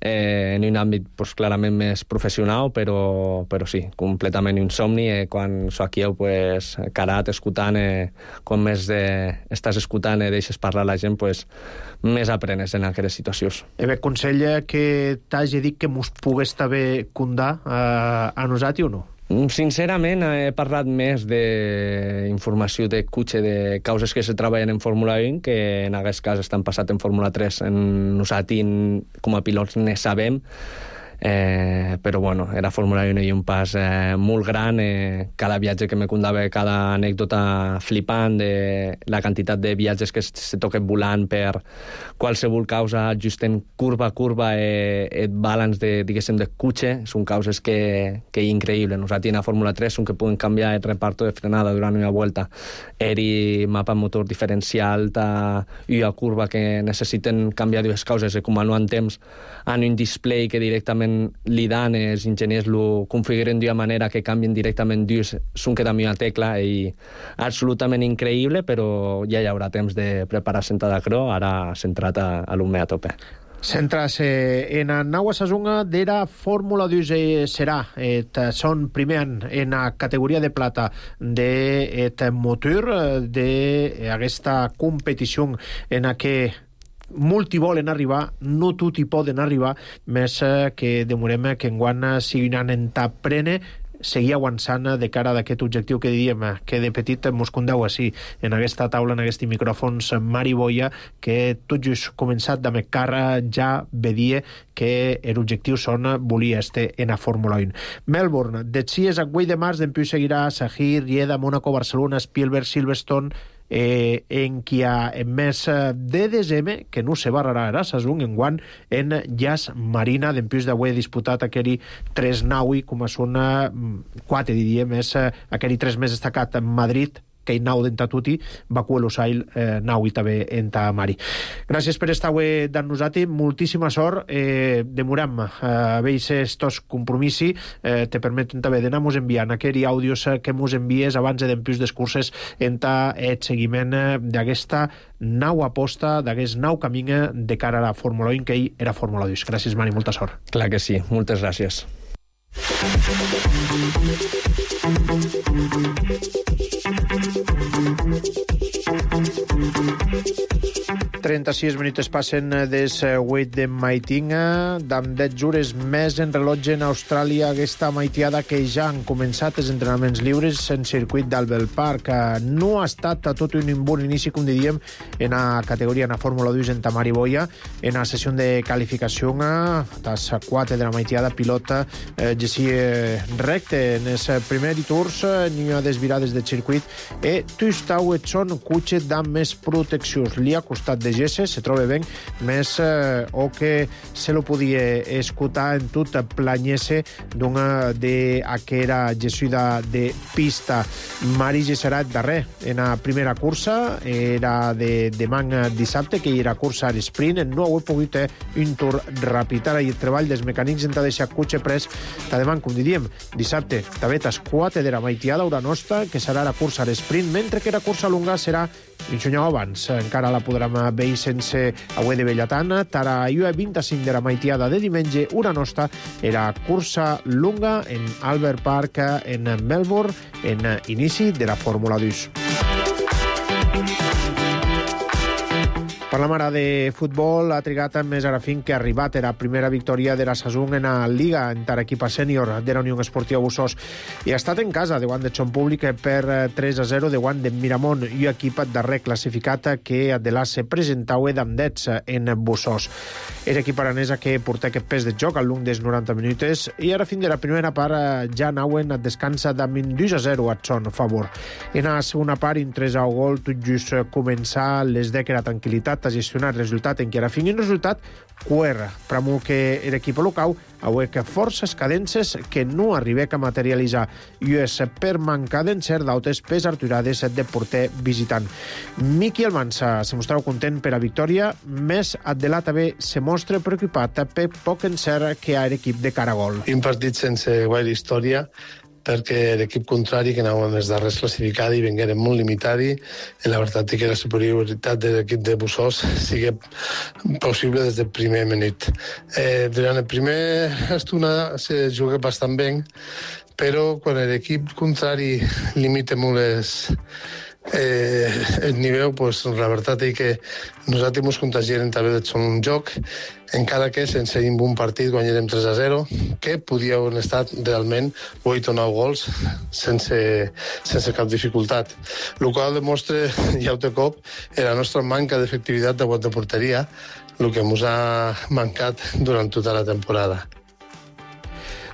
eh, en un àmbit pues, clarament més professional, però, però sí, completament un somni, eh, quan sóc aquí, pues, carat, escoltant, eh, quan més de, estàs escoltant i eh, deixes parlar la gent, pues, més aprenes en aquestes situacions. E bé, consella que t'hagi dit que mos pogués també condar eh, a nosaltres o no? Sincerament, he parlat més d'informació de cotxe, de causes que se treballen en Fórmula un, que en aquest cas estan passat en Fórmula tres. En nosaltres, com a pilots, ne sabem. Eh, però bueno, era Fórmula un i un pas eh, molt gran, eh, cada viatge que me contava, cada anècdota flipant de la quantitat de viatges que se toquen volant per qualsevol causa, just en curva a curva, eh, et balance de, diguéssim, de cotxe, són causes que, que és increïble. Nosaltres en la Fórmula tres són que poden canviar el reparto de frenada durant una volta, eri mapa motor diferencial, ta, i a curva que necessiten canviar dues causes, i com no en temps, en un display que directament li dan, els enginyers lo configuren d'una manera que canvien directament dus, són que també una tecla, i absolutament increïble, però ja hi haurà temps de preparar sentada a Cro, ara centrat a, a l'U M E a tope. Centrase en a naua sazonga dera Fórmula dos serà. Et són primer en a categoria de plata de et motor d'aquesta competició en a què molti volen arribar, no tutti poden arribar, més que demorem que enguany siguin en taprene seguir avançant de cara d'aquest objectiu que diríem, que de petit mos condeu així, en aquesta taula, en aquests micròfons, Mari Boya, que tot just començat de cara ja vedia que l'objectiu són volia este en a Fórmula un. Melbourne, de sis a vuit de març, d'empiu seguirà Sahir, Rieda, Mónaco, Barcelona, Spielberg, Silverstone, Eh, en qui ha en mes de desembre, que no se barrarà a Sazun, en guant en Jazz Marina, d'empius d'avui disputat aquell tres naui, com a són quatre, diria, més aquell tres més destacat en Madrid, que hi nau d'enta tuti, Bakú Lusail eh, nau i també enta Mari. Gràcies per estar avui d'en nosati, moltíssima sort, eh, demoram eh, veis estos compromissi, eh, te permeten també d'anar-nos enviant aquells àudios que mos envies abans d'empius d'escurses enta el seguiment d'aquesta nau aposta, d'aquest nau camí de cara a la Fórmula un, que ell era Fórmula dos. Gràcies, Mari, molta sort. Clar que sí, moltes gràcies. trenta-sis minuts passen des vuit de maitinga, d'amb deu hores més en rellotge en Austràlia, aquesta maitiada que ja han començat els entrenaments lliures en circuit d'Albert Park. No ha estat tot un bon inici, com diríem, en la categoria, en la Fórmula dos, en Tamari Boya, en la sessió de qualificació, a les quatre de la maitiada, pilota eh, Jessi recte en els primers tours, n'hi ha desvirades del circuit, i tustau et són cotxe d'amb més proteccions. Li ha costat de Gesse, se troba ben, més eh, o que se lo podia escutar en tot planyese d'una d'aquera gessuda de pista. Mari Gesserat darrer en la primera cursa, era de demà dissabte, que era cursa a l'esprint, no ho he pogut eh, un tour ràpid. Ara i el treball dels mecànics en deixar cotxe pres, ta demà, com diríem, dissabte, també tas quatre de la maitiada, hora nostra, que serà la cursa a l'esprint, mentre que la cursa longa serà un senyor abans. Encara la podrem veure sense avui de Bellatana. Tara i vint-i-cinc de la maitiada de diumenge, hora nostra, era cursa longa en Albert Park, en Melbourne, en inici de la Fórmula dos. Parlam ara de futbol. Ha trigat més ara fin que ha arribat a la primera victòria de la Sazun en la Liga en tar equip sènior de la Unió Esportiva Bussos, i ha estat en casa de guant de Son Públic per tres a zero de guant de Miramont, i equip darrer classificat que de la se presentava d'Amdets en Bussos. És equip aranesa que porta aquest pes de joc al long dels noranta minuts, i ara fin de la primera part ja anaven a descansa d'amb dos a zero a son favor. En la segona part, un tres a gol, tot just començar les de que la tranquil·litat a gestionar el resultat en què era fin un resultat cuerra, pramo que l'equip local avui que forces cadences que no arribé a materialitzar, i és per mancar d'encert d'altres pes arturades de porter visitant. Miqui Almansa se mostrava content per a victòria, més Adela també se mostra preocupat per poc encert que ha l'equip de cara a gol. Un partit sense guaire història, perquè l'equip contrari, que anaven els darrers classificats i vengueren molt limitats, i la veritat és que la superioritat de l'equip de Bussos sigui possible des del primer minut. Eh, durant el primer estona se juga bastant bé, però quan l'equip contrari limita molt les, eh, el nivell, pues, la veritat és que nosaltres ens contagiem també de ser un joc, encara que sense un bon partit guanyarem tres a zero, que podia haver estat realment vuit o nou gols sense, sense cap dificultat. El qual demostra, ja un cop, la nostra manca d'efectivitat de guant de porteria, el que ens ha mancat durant tota la temporada.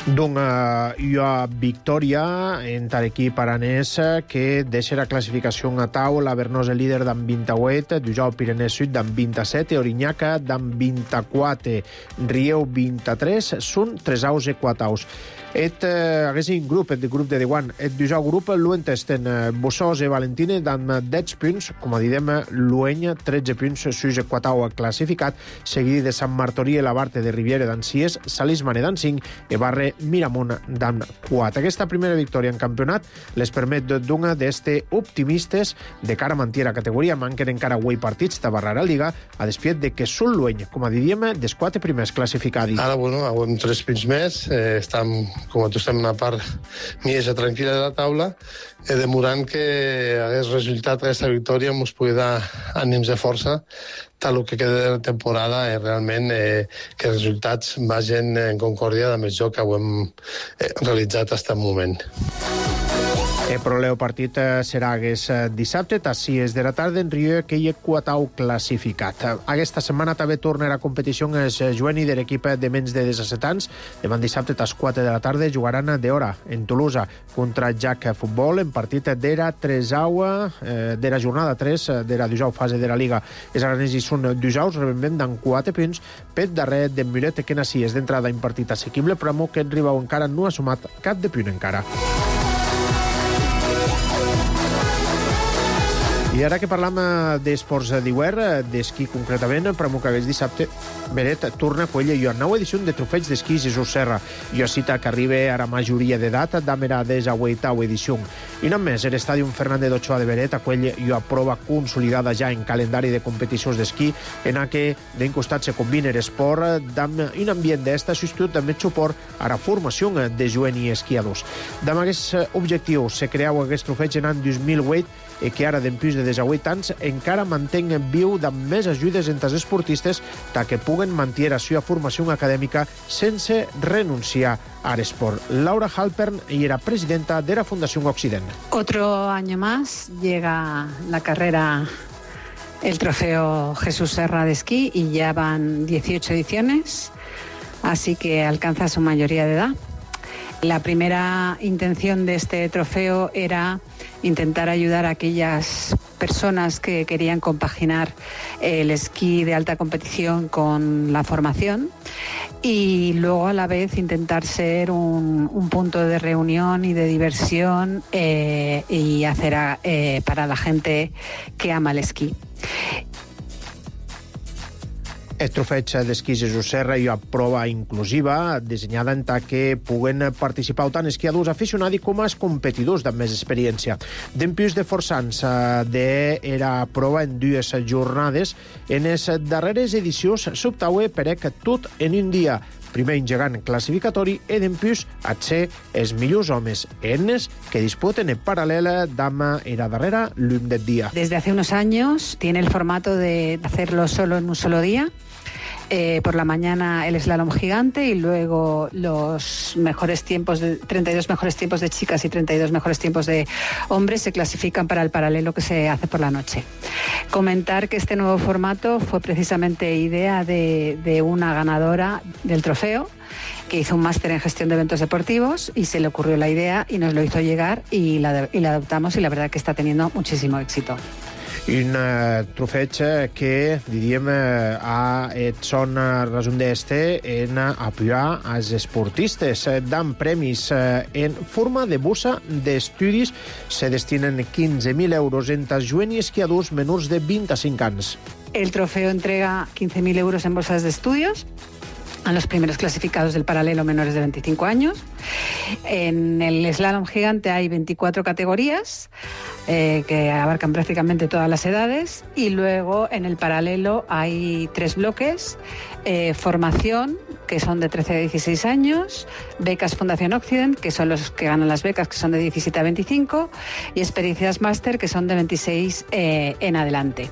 D'una uh, victòria en tal equip aranès que deixa la classificació a taula. Bernós el líder d'amb vint-i-vuit, Dujau Pirenès Sud d'amb vint-i-set, Orinyaca d'amb vint-i-quatre, Rieu vint-i-tres, són tres aus i quatre aus. Et uh, haguessin grup, et grup de Dewan, et dujau grup l'uentesten uh, Bossós e Valentine dan deu punts, com a didem, l'Ueny tretze punts, sus quatau classificat, seguit de Sant Martorí e la Barte de Riviere dan sis, Salismane dan cinc e Barre Miramunt dan quatre. Aquesta primera victòria en campionat les permet d'una d'este optimistes de cara a mantir la categoria. Manquen encara huit partits de barrar a Liga, a despiet de que són l'Ueny, com a didíem, dels quatre primers classificats. Ara, bueno, hem tres punts més, eh, estem com a tu estem una part més tranquil·la de la taula, e demorant que hagués resultat aquesta victòria ens pugui dar ànims de força tal el que queda de la temporada i realment eh, que els resultats vagin en concòrdia amb el joc que ho hem eh, realitzat fins al moment. El proleu partit serà aquest dissabte, a sis de la tarda, en Rieu, que hi ha quatau classificat. Aquesta setmana també tornarà a competició el juvenil de l'equip de menys de disset anys. Demà dissabte, a les quatre de la tarda, jugaran d'hora en Tolosa contra Jack Futbol, en partit d'era tresau, eh, d'era jornada tres, d'era dujau fase de la Liga. Els aranesos són dujaus, rebem d'en quatre punts, pet darrer d'en Mulet, que nací és d'entrada en partit assequible, però que en Ribau encara no ha sumat cap de punt encara. I ara que parlam d'esports d'hivern, d'esquí concretament, per que aquest dissabte Beret torna a Cuella i a nova edició de trofeig d'esquí Jesús Serra. Jo cita que arriba a la majoria d'edat d'amera des a vuitau edició. I només l'estadi Fernández d'Ochoa de Beret a Cuella i a prova consolidada ja en calendari de competicions d'esquí, en a que d'un costat se combina l'esport amb un ambient d'esta substitut amb suport a la formació de joves i esquiadors. Amb aquest objectiu se creau aquest trofeig en l'any dos mil vuit i que ara, d'empús de desavuit anys, encara mantenen viu amb més ajudes entre els esportistes que puguen mantenir la seva formació acadèmica sense renunciar a l'esport. Laura Halpern era presidenta de la Fundación Occident. Otro año más llega la carrera, el trofeo Jesús Serra de esquí, y ya van dieciocho ediciones, así que alcanza su mayoría de edad. La primera intención de este trofeo era intentar ayudar a aquellas personas que querían compaginar el esquí de alta competición con la formación y luego a la vez intentar ser un, un punto de reunión y de diversión eh, y hacer a, eh, para la gente que ama el esquí. El trofeig d'esquí Jesús Serra i a prova inclusiva, dissenyada en ta que puguen participar tant esquiadors aficionats com els competidors amb més experiència. D'empús de forçants d'era prova en dues jornades, en les darreres edicions s'optaue per que tot en un dia. Primer engegant classificatori i d'empús a ser els millors homes enes que disputen en paral·lel d'ama era darrera l'un del dia. Desde hace unos años tiene el formato de hacerlo solo en un solo día. Eh, por la mañana el slalom gigante y luego los mejores tiempos, de, treinta y dos mejores tiempos de chicas y treinta y dos mejores tiempos de hombres se clasifican para el paralelo que se hace por la noche. Comentar que este nuevo formato fue precisamente idea de, de una ganadora del trofeo que hizo un máster en gestión de eventos deportivos y se le ocurrió la idea y nos lo hizo llegar y la, y la adoptamos y la verdad que está teniendo muchísimo éxito. Un uh, trofeig que, diríem, uh, ha et son uh, resum d'este en uh, apoyar als esportistes. Uh, dan premis uh, en forma de bossa d'estudis. Se destinen quinze mil euros entre joves i esquiadors menors de vint-i-cinc anys. El trofeo entrega quince mil euros en bolsas de estudios a los primeros clasificados del paralelo menores de veinticinco años. En el slalom gigante hay veinticuatro categorías eh, que abarcan prácticamente todas las edades y luego en el paralelo hay tres bloques, eh, formación, que son de trece a dieciséis años, becas Fundación Occident, que son los que ganan las becas, que son de diecisiete a veinticinco, y experiencias máster, que son de veintiséis eh, en adelante.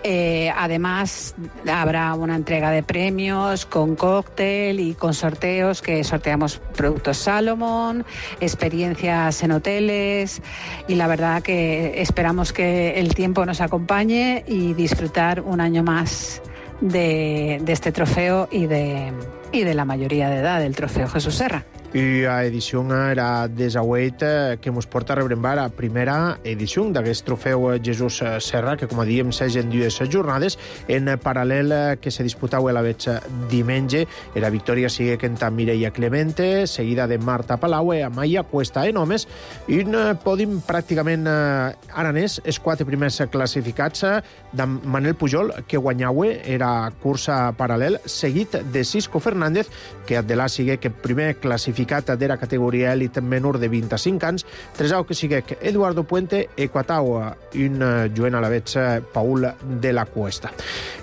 Eh, además, habrá una entrega de premios con cóctel y con sorteos, que sorteamos productos Salomon, experiencias en hoteles, y la verdad que esperamos que el tiempo nos acompañe y disfrutar un año más de, de este trofeo y de, y de la mayoría de edad del trofeo Jesús Serra. I a edició era desauet que mos porta a rebrembar a primera edició d'aquest trofeu Jesús Serra, que, com diem, s'egen dues jornades. En paral·lel que se disputava la veig diumenge, era victòria sigue que Mireia Clemente, seguida de Marta Palau i Amaya Cuesta en homes, i un pòdim pràcticament aranès, els quatre primers classificats de Manel Pujol, que guanyava, era cursa paral·lel, seguit de Cisco Fernández, que Adelà sigue que primer classificat de la categoria elit menor de vint-i-cinc anys, tresau que sigue Eduardo Puente, Equatau, un joven a la veig Paul de la Cuesta.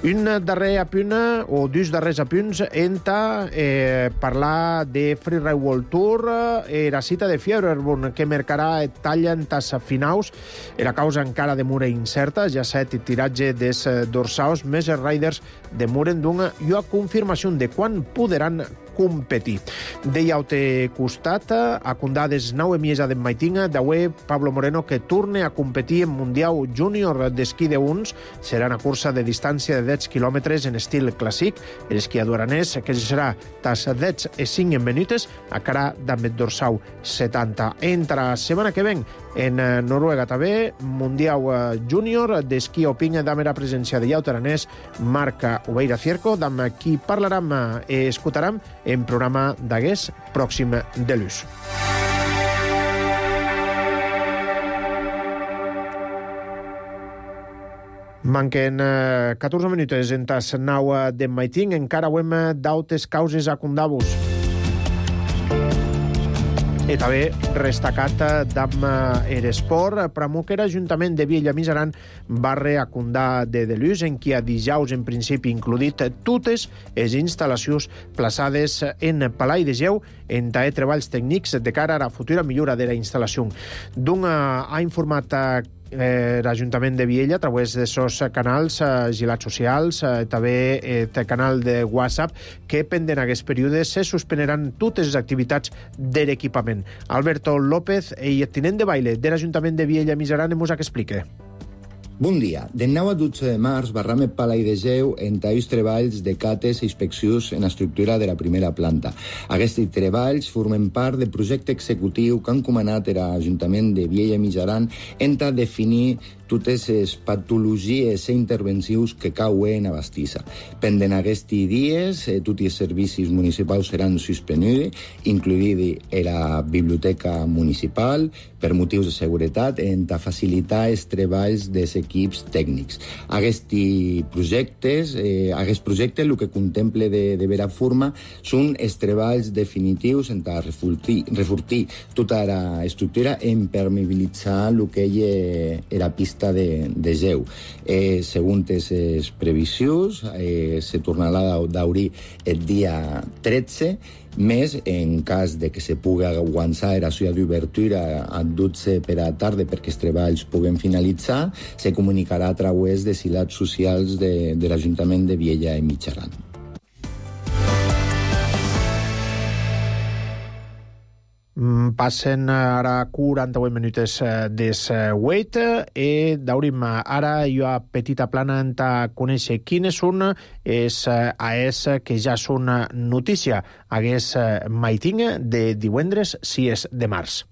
Un darrer apunt, o dos darrers apunts, enta eh, parlar de Freeride World Tour, eh, la cita de Fieberborn, que marcarà talla en tas finaus, era causa encara de mura incerta, ja set tiratge des dorsaus, més els riders demoren d'una i a confirmació de quan podran competir. Deia te costat, a condades nau emiesa d'en Maitinga, d'avui Pablo Moreno, que torne a competir en Mundial Júnior d'esquí de uns. Serà una cursa de distància de deu quilòmetres en estil clàssic. L'esquiador aranès, que serà tas deu i cinc minutes, a cara d'Ambet Dorsau setanta. Entra setmana que ven en Noruega també, Mundial Júnior d'esquí alpin d'amb la presència de llaut aranès Marc Obeira Cierco, d'amb qui parlarem i escoltarem en programa d'aguest pròxim de l'ús. Manquen catorze minuts en tas nau de Maiting, encara ho hem d'autes causes a Condabus. I també restacat d'am Eresport, Pramuquer, Ajuntament de Viella Misaran, barre a Condà de Delús, en qui a dijous en principi includit totes les instal·lacions plaçades en Palai de Geu en taer treballs tècnics de cara a la futura millora de la instal·lació. D'un ha informat Eh, l'Ajuntament de Viella a través de sos canals eh, gilats socials, eh, també el eh, canal de WhatsApp, que pendent aquests períodes se suspeneran totes les activitats de l'equipament. Alberto López, el tinent de baile de l'Ajuntament de Viella Misaran, ens ho explica. Bon dia. De nou a dotze de març barram el Palai de Geu en talls treballs de cates i inspeccions en estructura de la primera planta. Aquests treballs formen part del projecte executiu que han encomanat l'Ajuntament de Viella Misaran en definir totes les patologies i intervencions que cauen a Bastissa. Pendent aquests dies, eh, tots els servicis municipals seran suspenuts, incluïda la biblioteca municipal, per motius de seguretat, en facilitar els treballs dels equips tècnics. Aquests projectes, eh, aquest projecte, el que contempla de, de vera forma, són els treballs definitius en refortir, refortir tota l'estructura i impermeabilitzar el que és la pista de, de Geu. Eh, segons les previsions, eh, se tornarà d'obrir el dia tretze, més en cas de que se pugui aguantar la seva d'obertura a dotze per a tarda perquè els treballs puguen finalitzar, se comunicarà a través de silats socials de, de l'Ajuntament de Viella i Mijaran. Passen ara quaranta-vuit minuts des vuit i daurim ara jo a petita plana en ta conèixer quines són és a es que ja són notícia hagués maiting de divendres sis de març.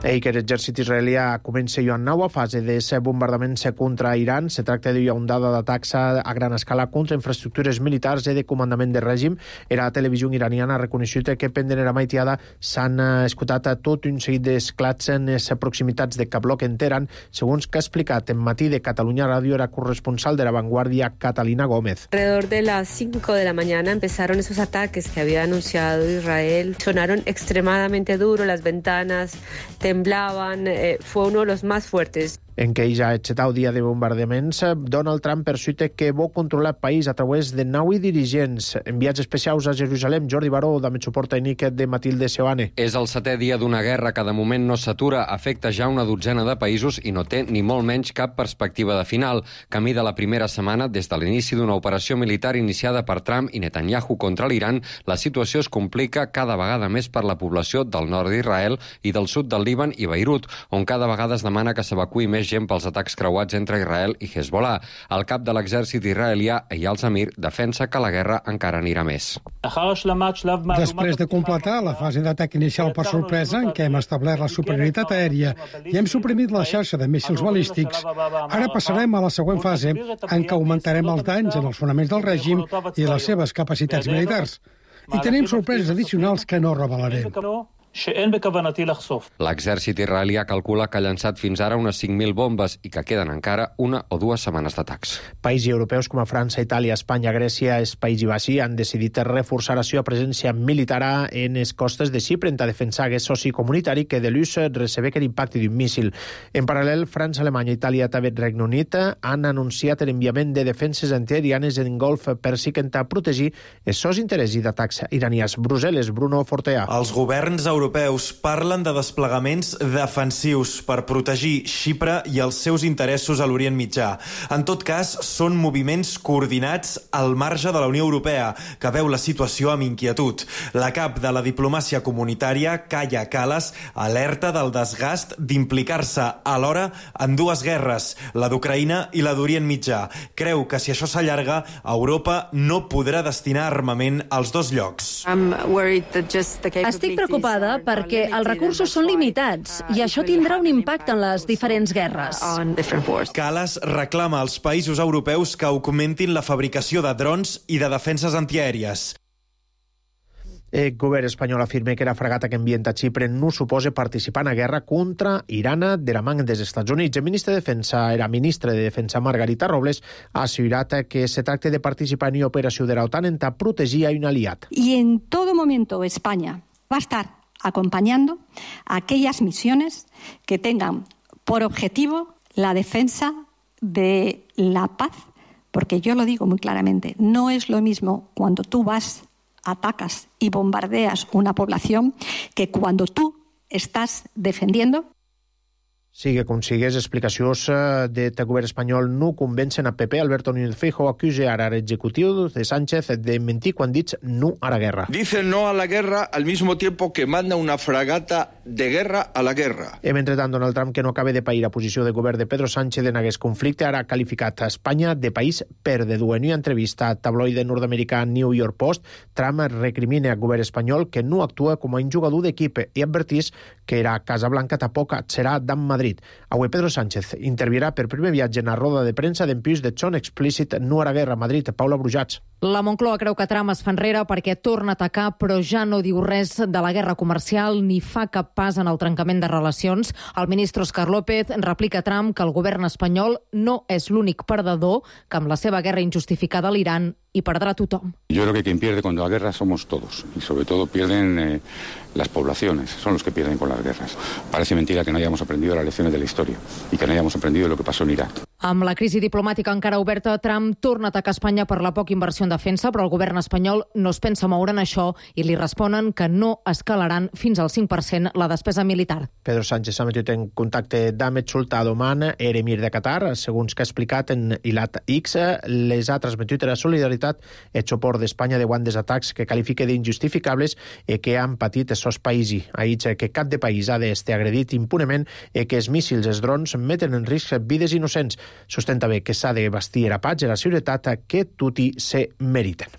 Ei, que l'exèrcit israelià comença jo en nova fase de bombardaments contra Iran. Se tracta d'una ondada d'atacs a gran escala contra infraestructures militars i de comandament de règim. La televisió iraniana ha reconegut que pendent la maitiada s'han escoltat tot un seguit d'esclats en les proximitats de Cablok en Teheran, segons que ha explicat en Matí de Catalunya Ràdio la corresponsal de La Vanguardia, Catalina Gómez. Alrededor de las cinco de la mañana empezaron esos ataques que había anunciado Israel. Sonaron extremadamente duro, las ventanas temblaban, eh, fue uno de los más fuertes. En què ja ha aixetat el dia de bombardaments, Donald Trump persuite que vol controlar el país a través de nou dirigents. Enviats especials a Jerusalem, Jordi Baró, de suport tècnic de Matilde Seoane. És el setè dia d'una guerra que de moment no s'atura, afecta ja una dotzena de països i no té ni molt menys cap perspectiva de final. Camí de la primera setmana, des de l'inici d'una operació militar iniciada per Trump i Netanyahu contra l'Iran, la situació es complica cada vegada més per la població del nord d'Israel i del sud del Líban i Beirut, on cada vegada es demana que s'evacuï més urgent pels atacs creuats entre Israel i Hezbollah. El cap de l'exèrcit israelià, Eyal Zamir, defensa que la guerra encara anirà més. Després de completar la fase d'atac inicial per sorpresa, en què hem establert la superioritat aèria i hem suprimit la xarxa de míssils balístics, ara passarem a la següent fase, en què augmentarem els danys en els fonaments del règim i les seves capacitats militars. I tenim sorpreses addicionals que no revelaré. L'exèrcit israelià calcula que ha llançat fins ara unes cinc mil bombes i que queden encara una o dues setmanes d'atacs. Països europeus com a França, Itàlia, Espanya, Grècia, els Països Baixos han decidit reforçar la seva presència militar en les costes de Xipre en defensar aquest soci comunitari que de l'ús recebe l'impacte d'un míssil. En paral·lel, França, Alemanya, Itàlia i també Regne Unit han anunciat l'enviament de defenses antiaèries en Golf Pèrsic per protegir els seus interessos d'atacs iranians. Brussel·les, Bruno Fortea. Els governs europeus parlen de desplegaments defensius per protegir Xipre i els seus interessos a l'Orient Mitjà. En tot cas, són moviments coordinats al marge de la Unió Europea, que veu la situació amb inquietud. La cap de la diplomàcia comunitària, Kaja Kallas, alerta del desgast d'implicar-se alhora en dues guerres, la d'Ucraïna i la d'Orient Mitjà. Creu que si això s'allarga, Europa no podrà destinar armament als dos llocs. Estic preocupada perquè els recursos són limitats i això tindrà un impacte en les diferents guerres. Kallas reclama als països europeus que augmentin la fabricació de drons i de defenses antiaèries. El govern espanyol afirma que la fragata que envien a Xipre no suposa participar en la guerra contra Iran de la mà dels Estats Units. El ministre de Defensa, era ministre de Defensa Margarita Robles, ha assegurat que se tracta de participar en una operació de la OTAN en ta protegir a un aliat. Y en todo momento España va a estar acompañando a aquellas misiones que tengan por objetivo la defensa de la paz, porque yo lo digo muy claramente, no es lo mismo cuando tú vas, atacas y bombardeas una población que cuando tú estás defendiendo. Sigue com sigues, explicacions del govern espanyol no convencen a P P. Alberto Núñez Feijóo acusa ara l'executiu de Sánchez de mentir quan diu no a la guerra. Dice no a la guerra al mismo tiempo que manda una fragata de guerra a la guerra. I mentrestant, Donald Trump, que no acaba de pair a posició de govern de Pedro Sánchez en aquest conflicte, ara ha qualificat a Espanya de país perdedor. En una entrevista al tabloide nord-americà New York Post, Trump recrimina al govern espanyol que no actua com a un jugador d'equip i advertís que era Casablanca tampoc serà d'en Madrid. Avui Pedro Sánchez intervirà per primer viatge en la roda de premsa d'empís de Chon explícit no a la guerra a Madrid. Paula Brujats. La Moncloa creu que Trump es fa enrere perquè torna a atacar, però ja no diu res de la guerra comercial ni fa cap pas en el trencament de relacions. El ministre Óscar López replica a Trump que el govern espanyol no és l'únic perdedor, que amb la seva guerra injustificada a l'Iran y perdrá tothom. Yo creo que quien pierde con la guerra somos todos y sobre todo pierden eh, las poblaciones, son los que pierden con las guerras. Parece mentira que no hayamos aprendido las lecciones de la historia y que no hayamos aprendido lo que pasó en Irak. Amb la crisi diplomàtica encara oberta, Trump torna a atacar Espanya per la poca inversió en defensa, però el govern espanyol no es pensa moure en això i li responen que no escalaran fins al cinc per cent la despesa militar. Pedro Sánchez s'ha metit en contacte d'Ahmed Sultan Oman, eremir de Qatar. Segons que ha explicat en Ilat X, les ha transmetit la solidaritat i el suport d'Espanya davant dels atacs que qualifica d'injustificables i que han patit els seus països. Ha dit que cap de país ha d'estar agredit impunement i que els míssils, els drons, meten en risc vides innocents. Sostenta bé que s'ha de bastir a pats i la seguretat que tutti se meriten.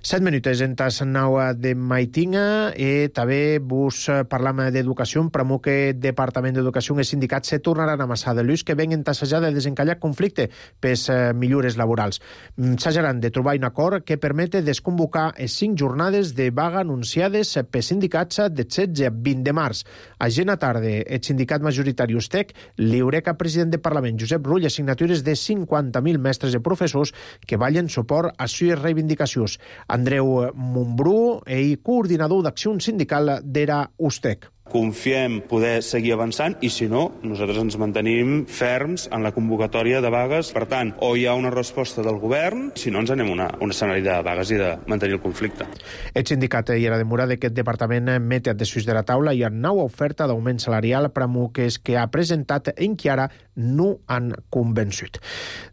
Set minutes en tas nau de Maitinga i també vos parlam d'educació. Pramo que Departament d'Educació i sindicats se tornaran a amassar de l'ús que venguen tassejar de desencallar conflicte pels millores laborals. S'hajaran de trobar un acord que permete desconvocar les cinc jornades de vaga anunciades pels sindicats de setze a vint de març. A Gena Tarde, el sindicat majoritari Ustec li haurà cap president del Parlament, Josep Rull, signatures de cinquanta mil mestres i professors que ballen suport a les reivindicacions. Andreu Montbrú, ell coordinador d'acció sindical d'Era Ustec. Confiem poder seguir avançant i, si no, nosaltres ens mantenim ferms en la convocatòria de vagues. Per tant, o hi ha una resposta del govern, si no ens anem a una, un escenari de vagues i de mantenir el conflicte. El sindicat hi era demorat que el departament mete a desús de la taula i ha nova oferta d'augment salarial per a muques que ha presentat en que ara no han convençut.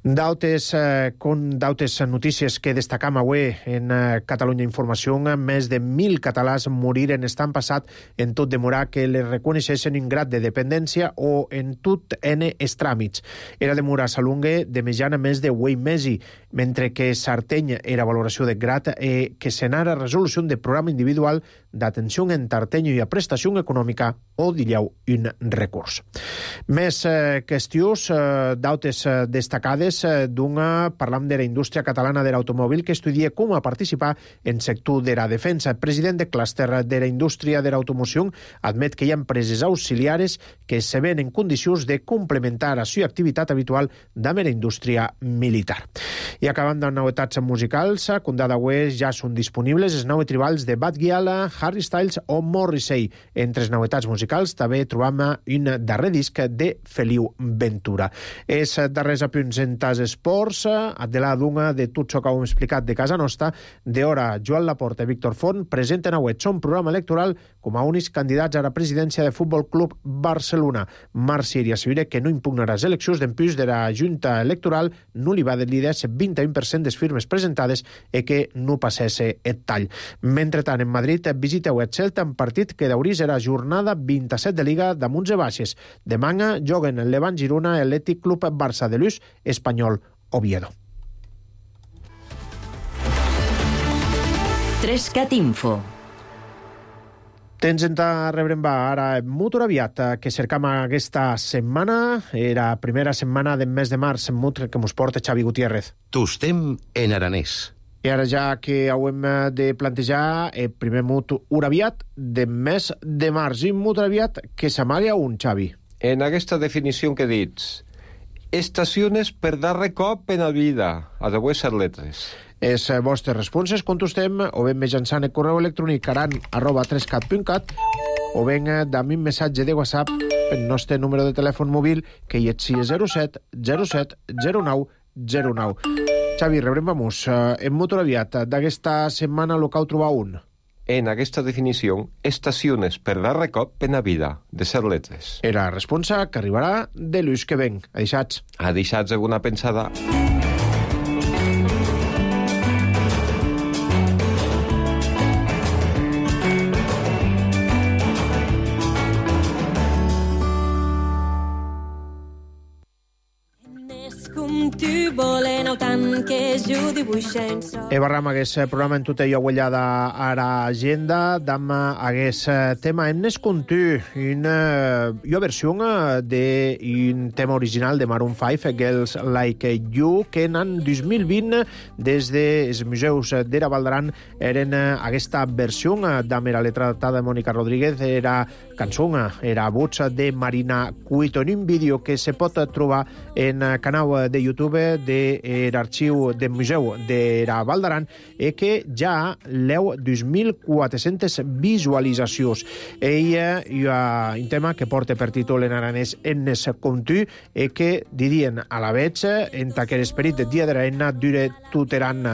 D'altres eh, notícies que destacam avui en eh, Catalunya Informació, més de mil catalans moriren estan passat en tot demorar que les reconeixessin un grad de dependència o en tot en els tràmits. Era de mura salungue de mitjana més de vuit mesos, mentre que Sarteny era valoració de grad e que s'anara resolució de programa individual d'atenció en tartenyo i a prestació econòmica o dillau un recurs. Més eh, qüestions eh, d'autes eh, destacades eh, d'una, parlam de la indústria catalana de l'automòbil que estudia com a participar en sector de la defensa. El president de clúster de la indústria de l'automoció admet que hi ha empreses auxiliares que se ven en condicions de complementar la seva activitat habitual amb la indústria militar. I acabant de novetats musicals, condada West ja són disponibles els nou tribals de Bad Gyal, Harry Styles o Morrissey. Entre les novetats musicals també trobam un darrer disc de Feliu Ventura. Els darrers apunts en tas esports, de la d'una de tot això que heu explicat de casa nostra, d'hora Joan Laporta i Víctor Font presenten avui son programa electoral com a únics candidats a la presidència de Futbol Club Barcelona. Marc Siri assegura que no impugnarà les eleccions d'empús de la Junta Electoral, no li va de líders vint i u per cent de firmes presentades i que no passés el tall. Mentrestant, en Madrid visiteu el Celta en partit que d'avui serà jornada vint-i-set de Liga damunt de baixes. Demà juguen el Levant Girona, Atlètic Club Barça de l'U S, Espanyol Oviedo. Trescat Info. Tens en ta rebrem va ara molt aviat que cercam aquesta setmana, era primera setmana del mes de març, molt que mos porta Xavi Gutiérrez. Tostem en aranès. I ara ja que haurem de plantejar el primer mut aviat del mes de març, i molt aviat que s'amaga un, Xavi. En aquesta definició que dits, estacions per darrer cop en la vida, a de vuestras letres. Les vostres responses contestem o ben mitjançant el correu electrònic caran arroba trescat punt cat o ben dame un missatge de WhatsApp el nostre número de telèfon mòbil que hi és zero set zero set zero nou zero nou. Xavi, rebrem vamos en molt aviat d'aquesta setmana el que heu trobat un. En aquesta definició, estacions per darrer cop en la vida, de ser letres. Era la responsa que arribarà de l'ús que ven. Adeixats. Adeixats alguna pensada. E barram hagués programa en tot allò guanyada a l'agenda d'am hagués tema en nes contu una jo versió d'un tema original de Maroon cinc, Girls Like You, que en l'any dos mil vint des dels museus d'Era Valdaran eren aquesta versió d'am era letra de Mònica Rodríguez, era cançó, era voz de Marina Cuito, en un vídeo que se pot trobar en el canal de YouTube de l'arxiu del Museu de la Val d'Aran i que ja leu dos mil quatre-centes visualitzacions. Ell hi ha un tema que porta per títol en aranès en es contu i que dirien a la veig en aquest esperit de dia de reina dure tuteran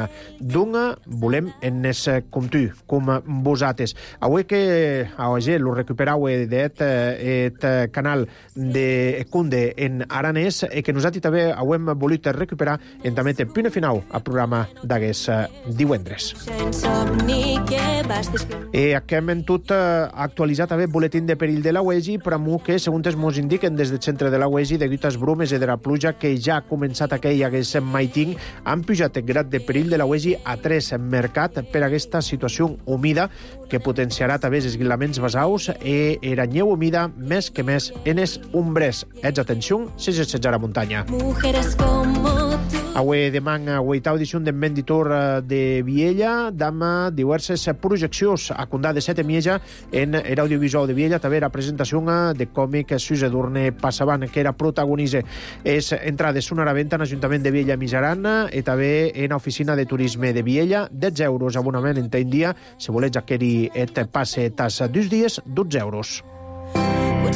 d'una volem en es contu com vosaltres. Avui que avui lo recuperau d'et et canal de Cunde en aranès i que nosaltres també hem volut recuperar en també té punt final al programa d'aquest divendres. I aquí hem tot actualitzat també el boletín de perill de la U E G I, però que, segons ens indiquen des del centre de la U E G I, degut als brumes i de la pluja que ja ha començat aquell hagués maiting, han pujat el grad de perill de la U E G I a tres en mercat per aquesta situació humida que potenciarà també els esguilaments basaus i era neu humida més que més en els ombres. Ets atenció, si és a la muntanya. Avui demà, oitava edició del Venditor de Viella, d'ama diverses projeccions a Condà de Sete Mieja en l'audiovisual de Viella, també la presentació de còmic Suze Durne Passaban, que era protagonista. És entrades són a la venda en l'Ajuntament de Viella Mijaran i també en l'Oficina de Turisme de Viella, dotze euros abonament en un dia, si volets adquirir et passe tas dos dies, dotze euros.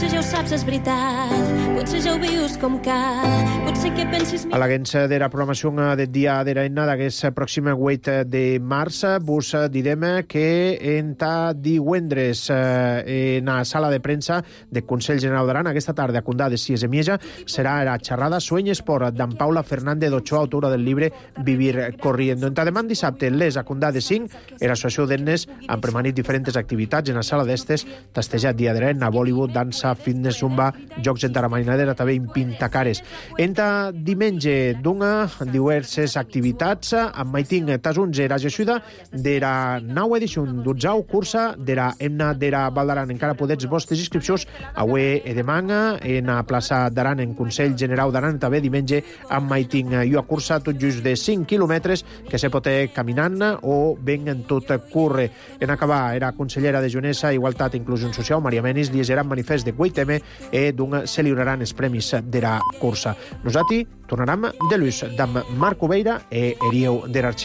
potser ja ho saps, és veritat, potser ja ho vius com cal, potser que pensis... A l'agència de la programació del dia de l'Enna d'aquest pròxim vuit de març, vos direm que enta divendres en la sala de premsa del Consell General d'Aran, aquesta tarda a Condà de Cies de Mieja, serà la xerrada Sueño Esport d'en Paula Fernández d'Ochoa, autora del llibre Vivir Corriendo. Enta demà dissabte, les a Condà de cinc, l'Associació d'Ennes han premanit diferents activitats en la sala d'estes, tastejat dia de l'Enna, Bollywood, dansa, fitness, zumba, jocs en taramainadera, també en pintacares. Enta diumenge d'una diverses activitats amb maiting tasunts era Jessuda de la nau edició d'Utzau cursa de la Emna de la Val d'Aran. Encara podets vostres inscripcions avui e demà en la plaça d'Aran en Consell General d'Aran, també diumenge amb maiting i a cursa tot just de cinc quilòmetres que se pot caminant o ben en tot curre. En acabar, era consellera de Junesa, Igualtat i Inclusió Social, Maria Menis, llegeran manifest de vuit eme e d'un se lliuraran els premis de la cursa. Nosaltres tornarem de l'ús d'en Marc Obeira e Erieu de l'Arxiu.